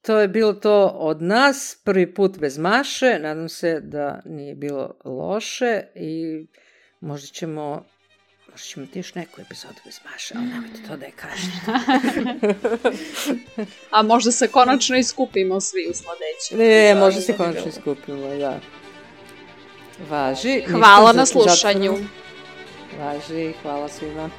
To je bilo to od nas, prvi put bez Maše, nadam se da nije bilo loše i možda ćemo, možda ćemo ti još neku epizodu bez Maše, ali nemojte to da je kažete. A možda se konačno iskupimo svi u sledećem. Ne, možda se konačno iskupimo, da. Važi. Hvala na slušanju. Važi, hvala svima.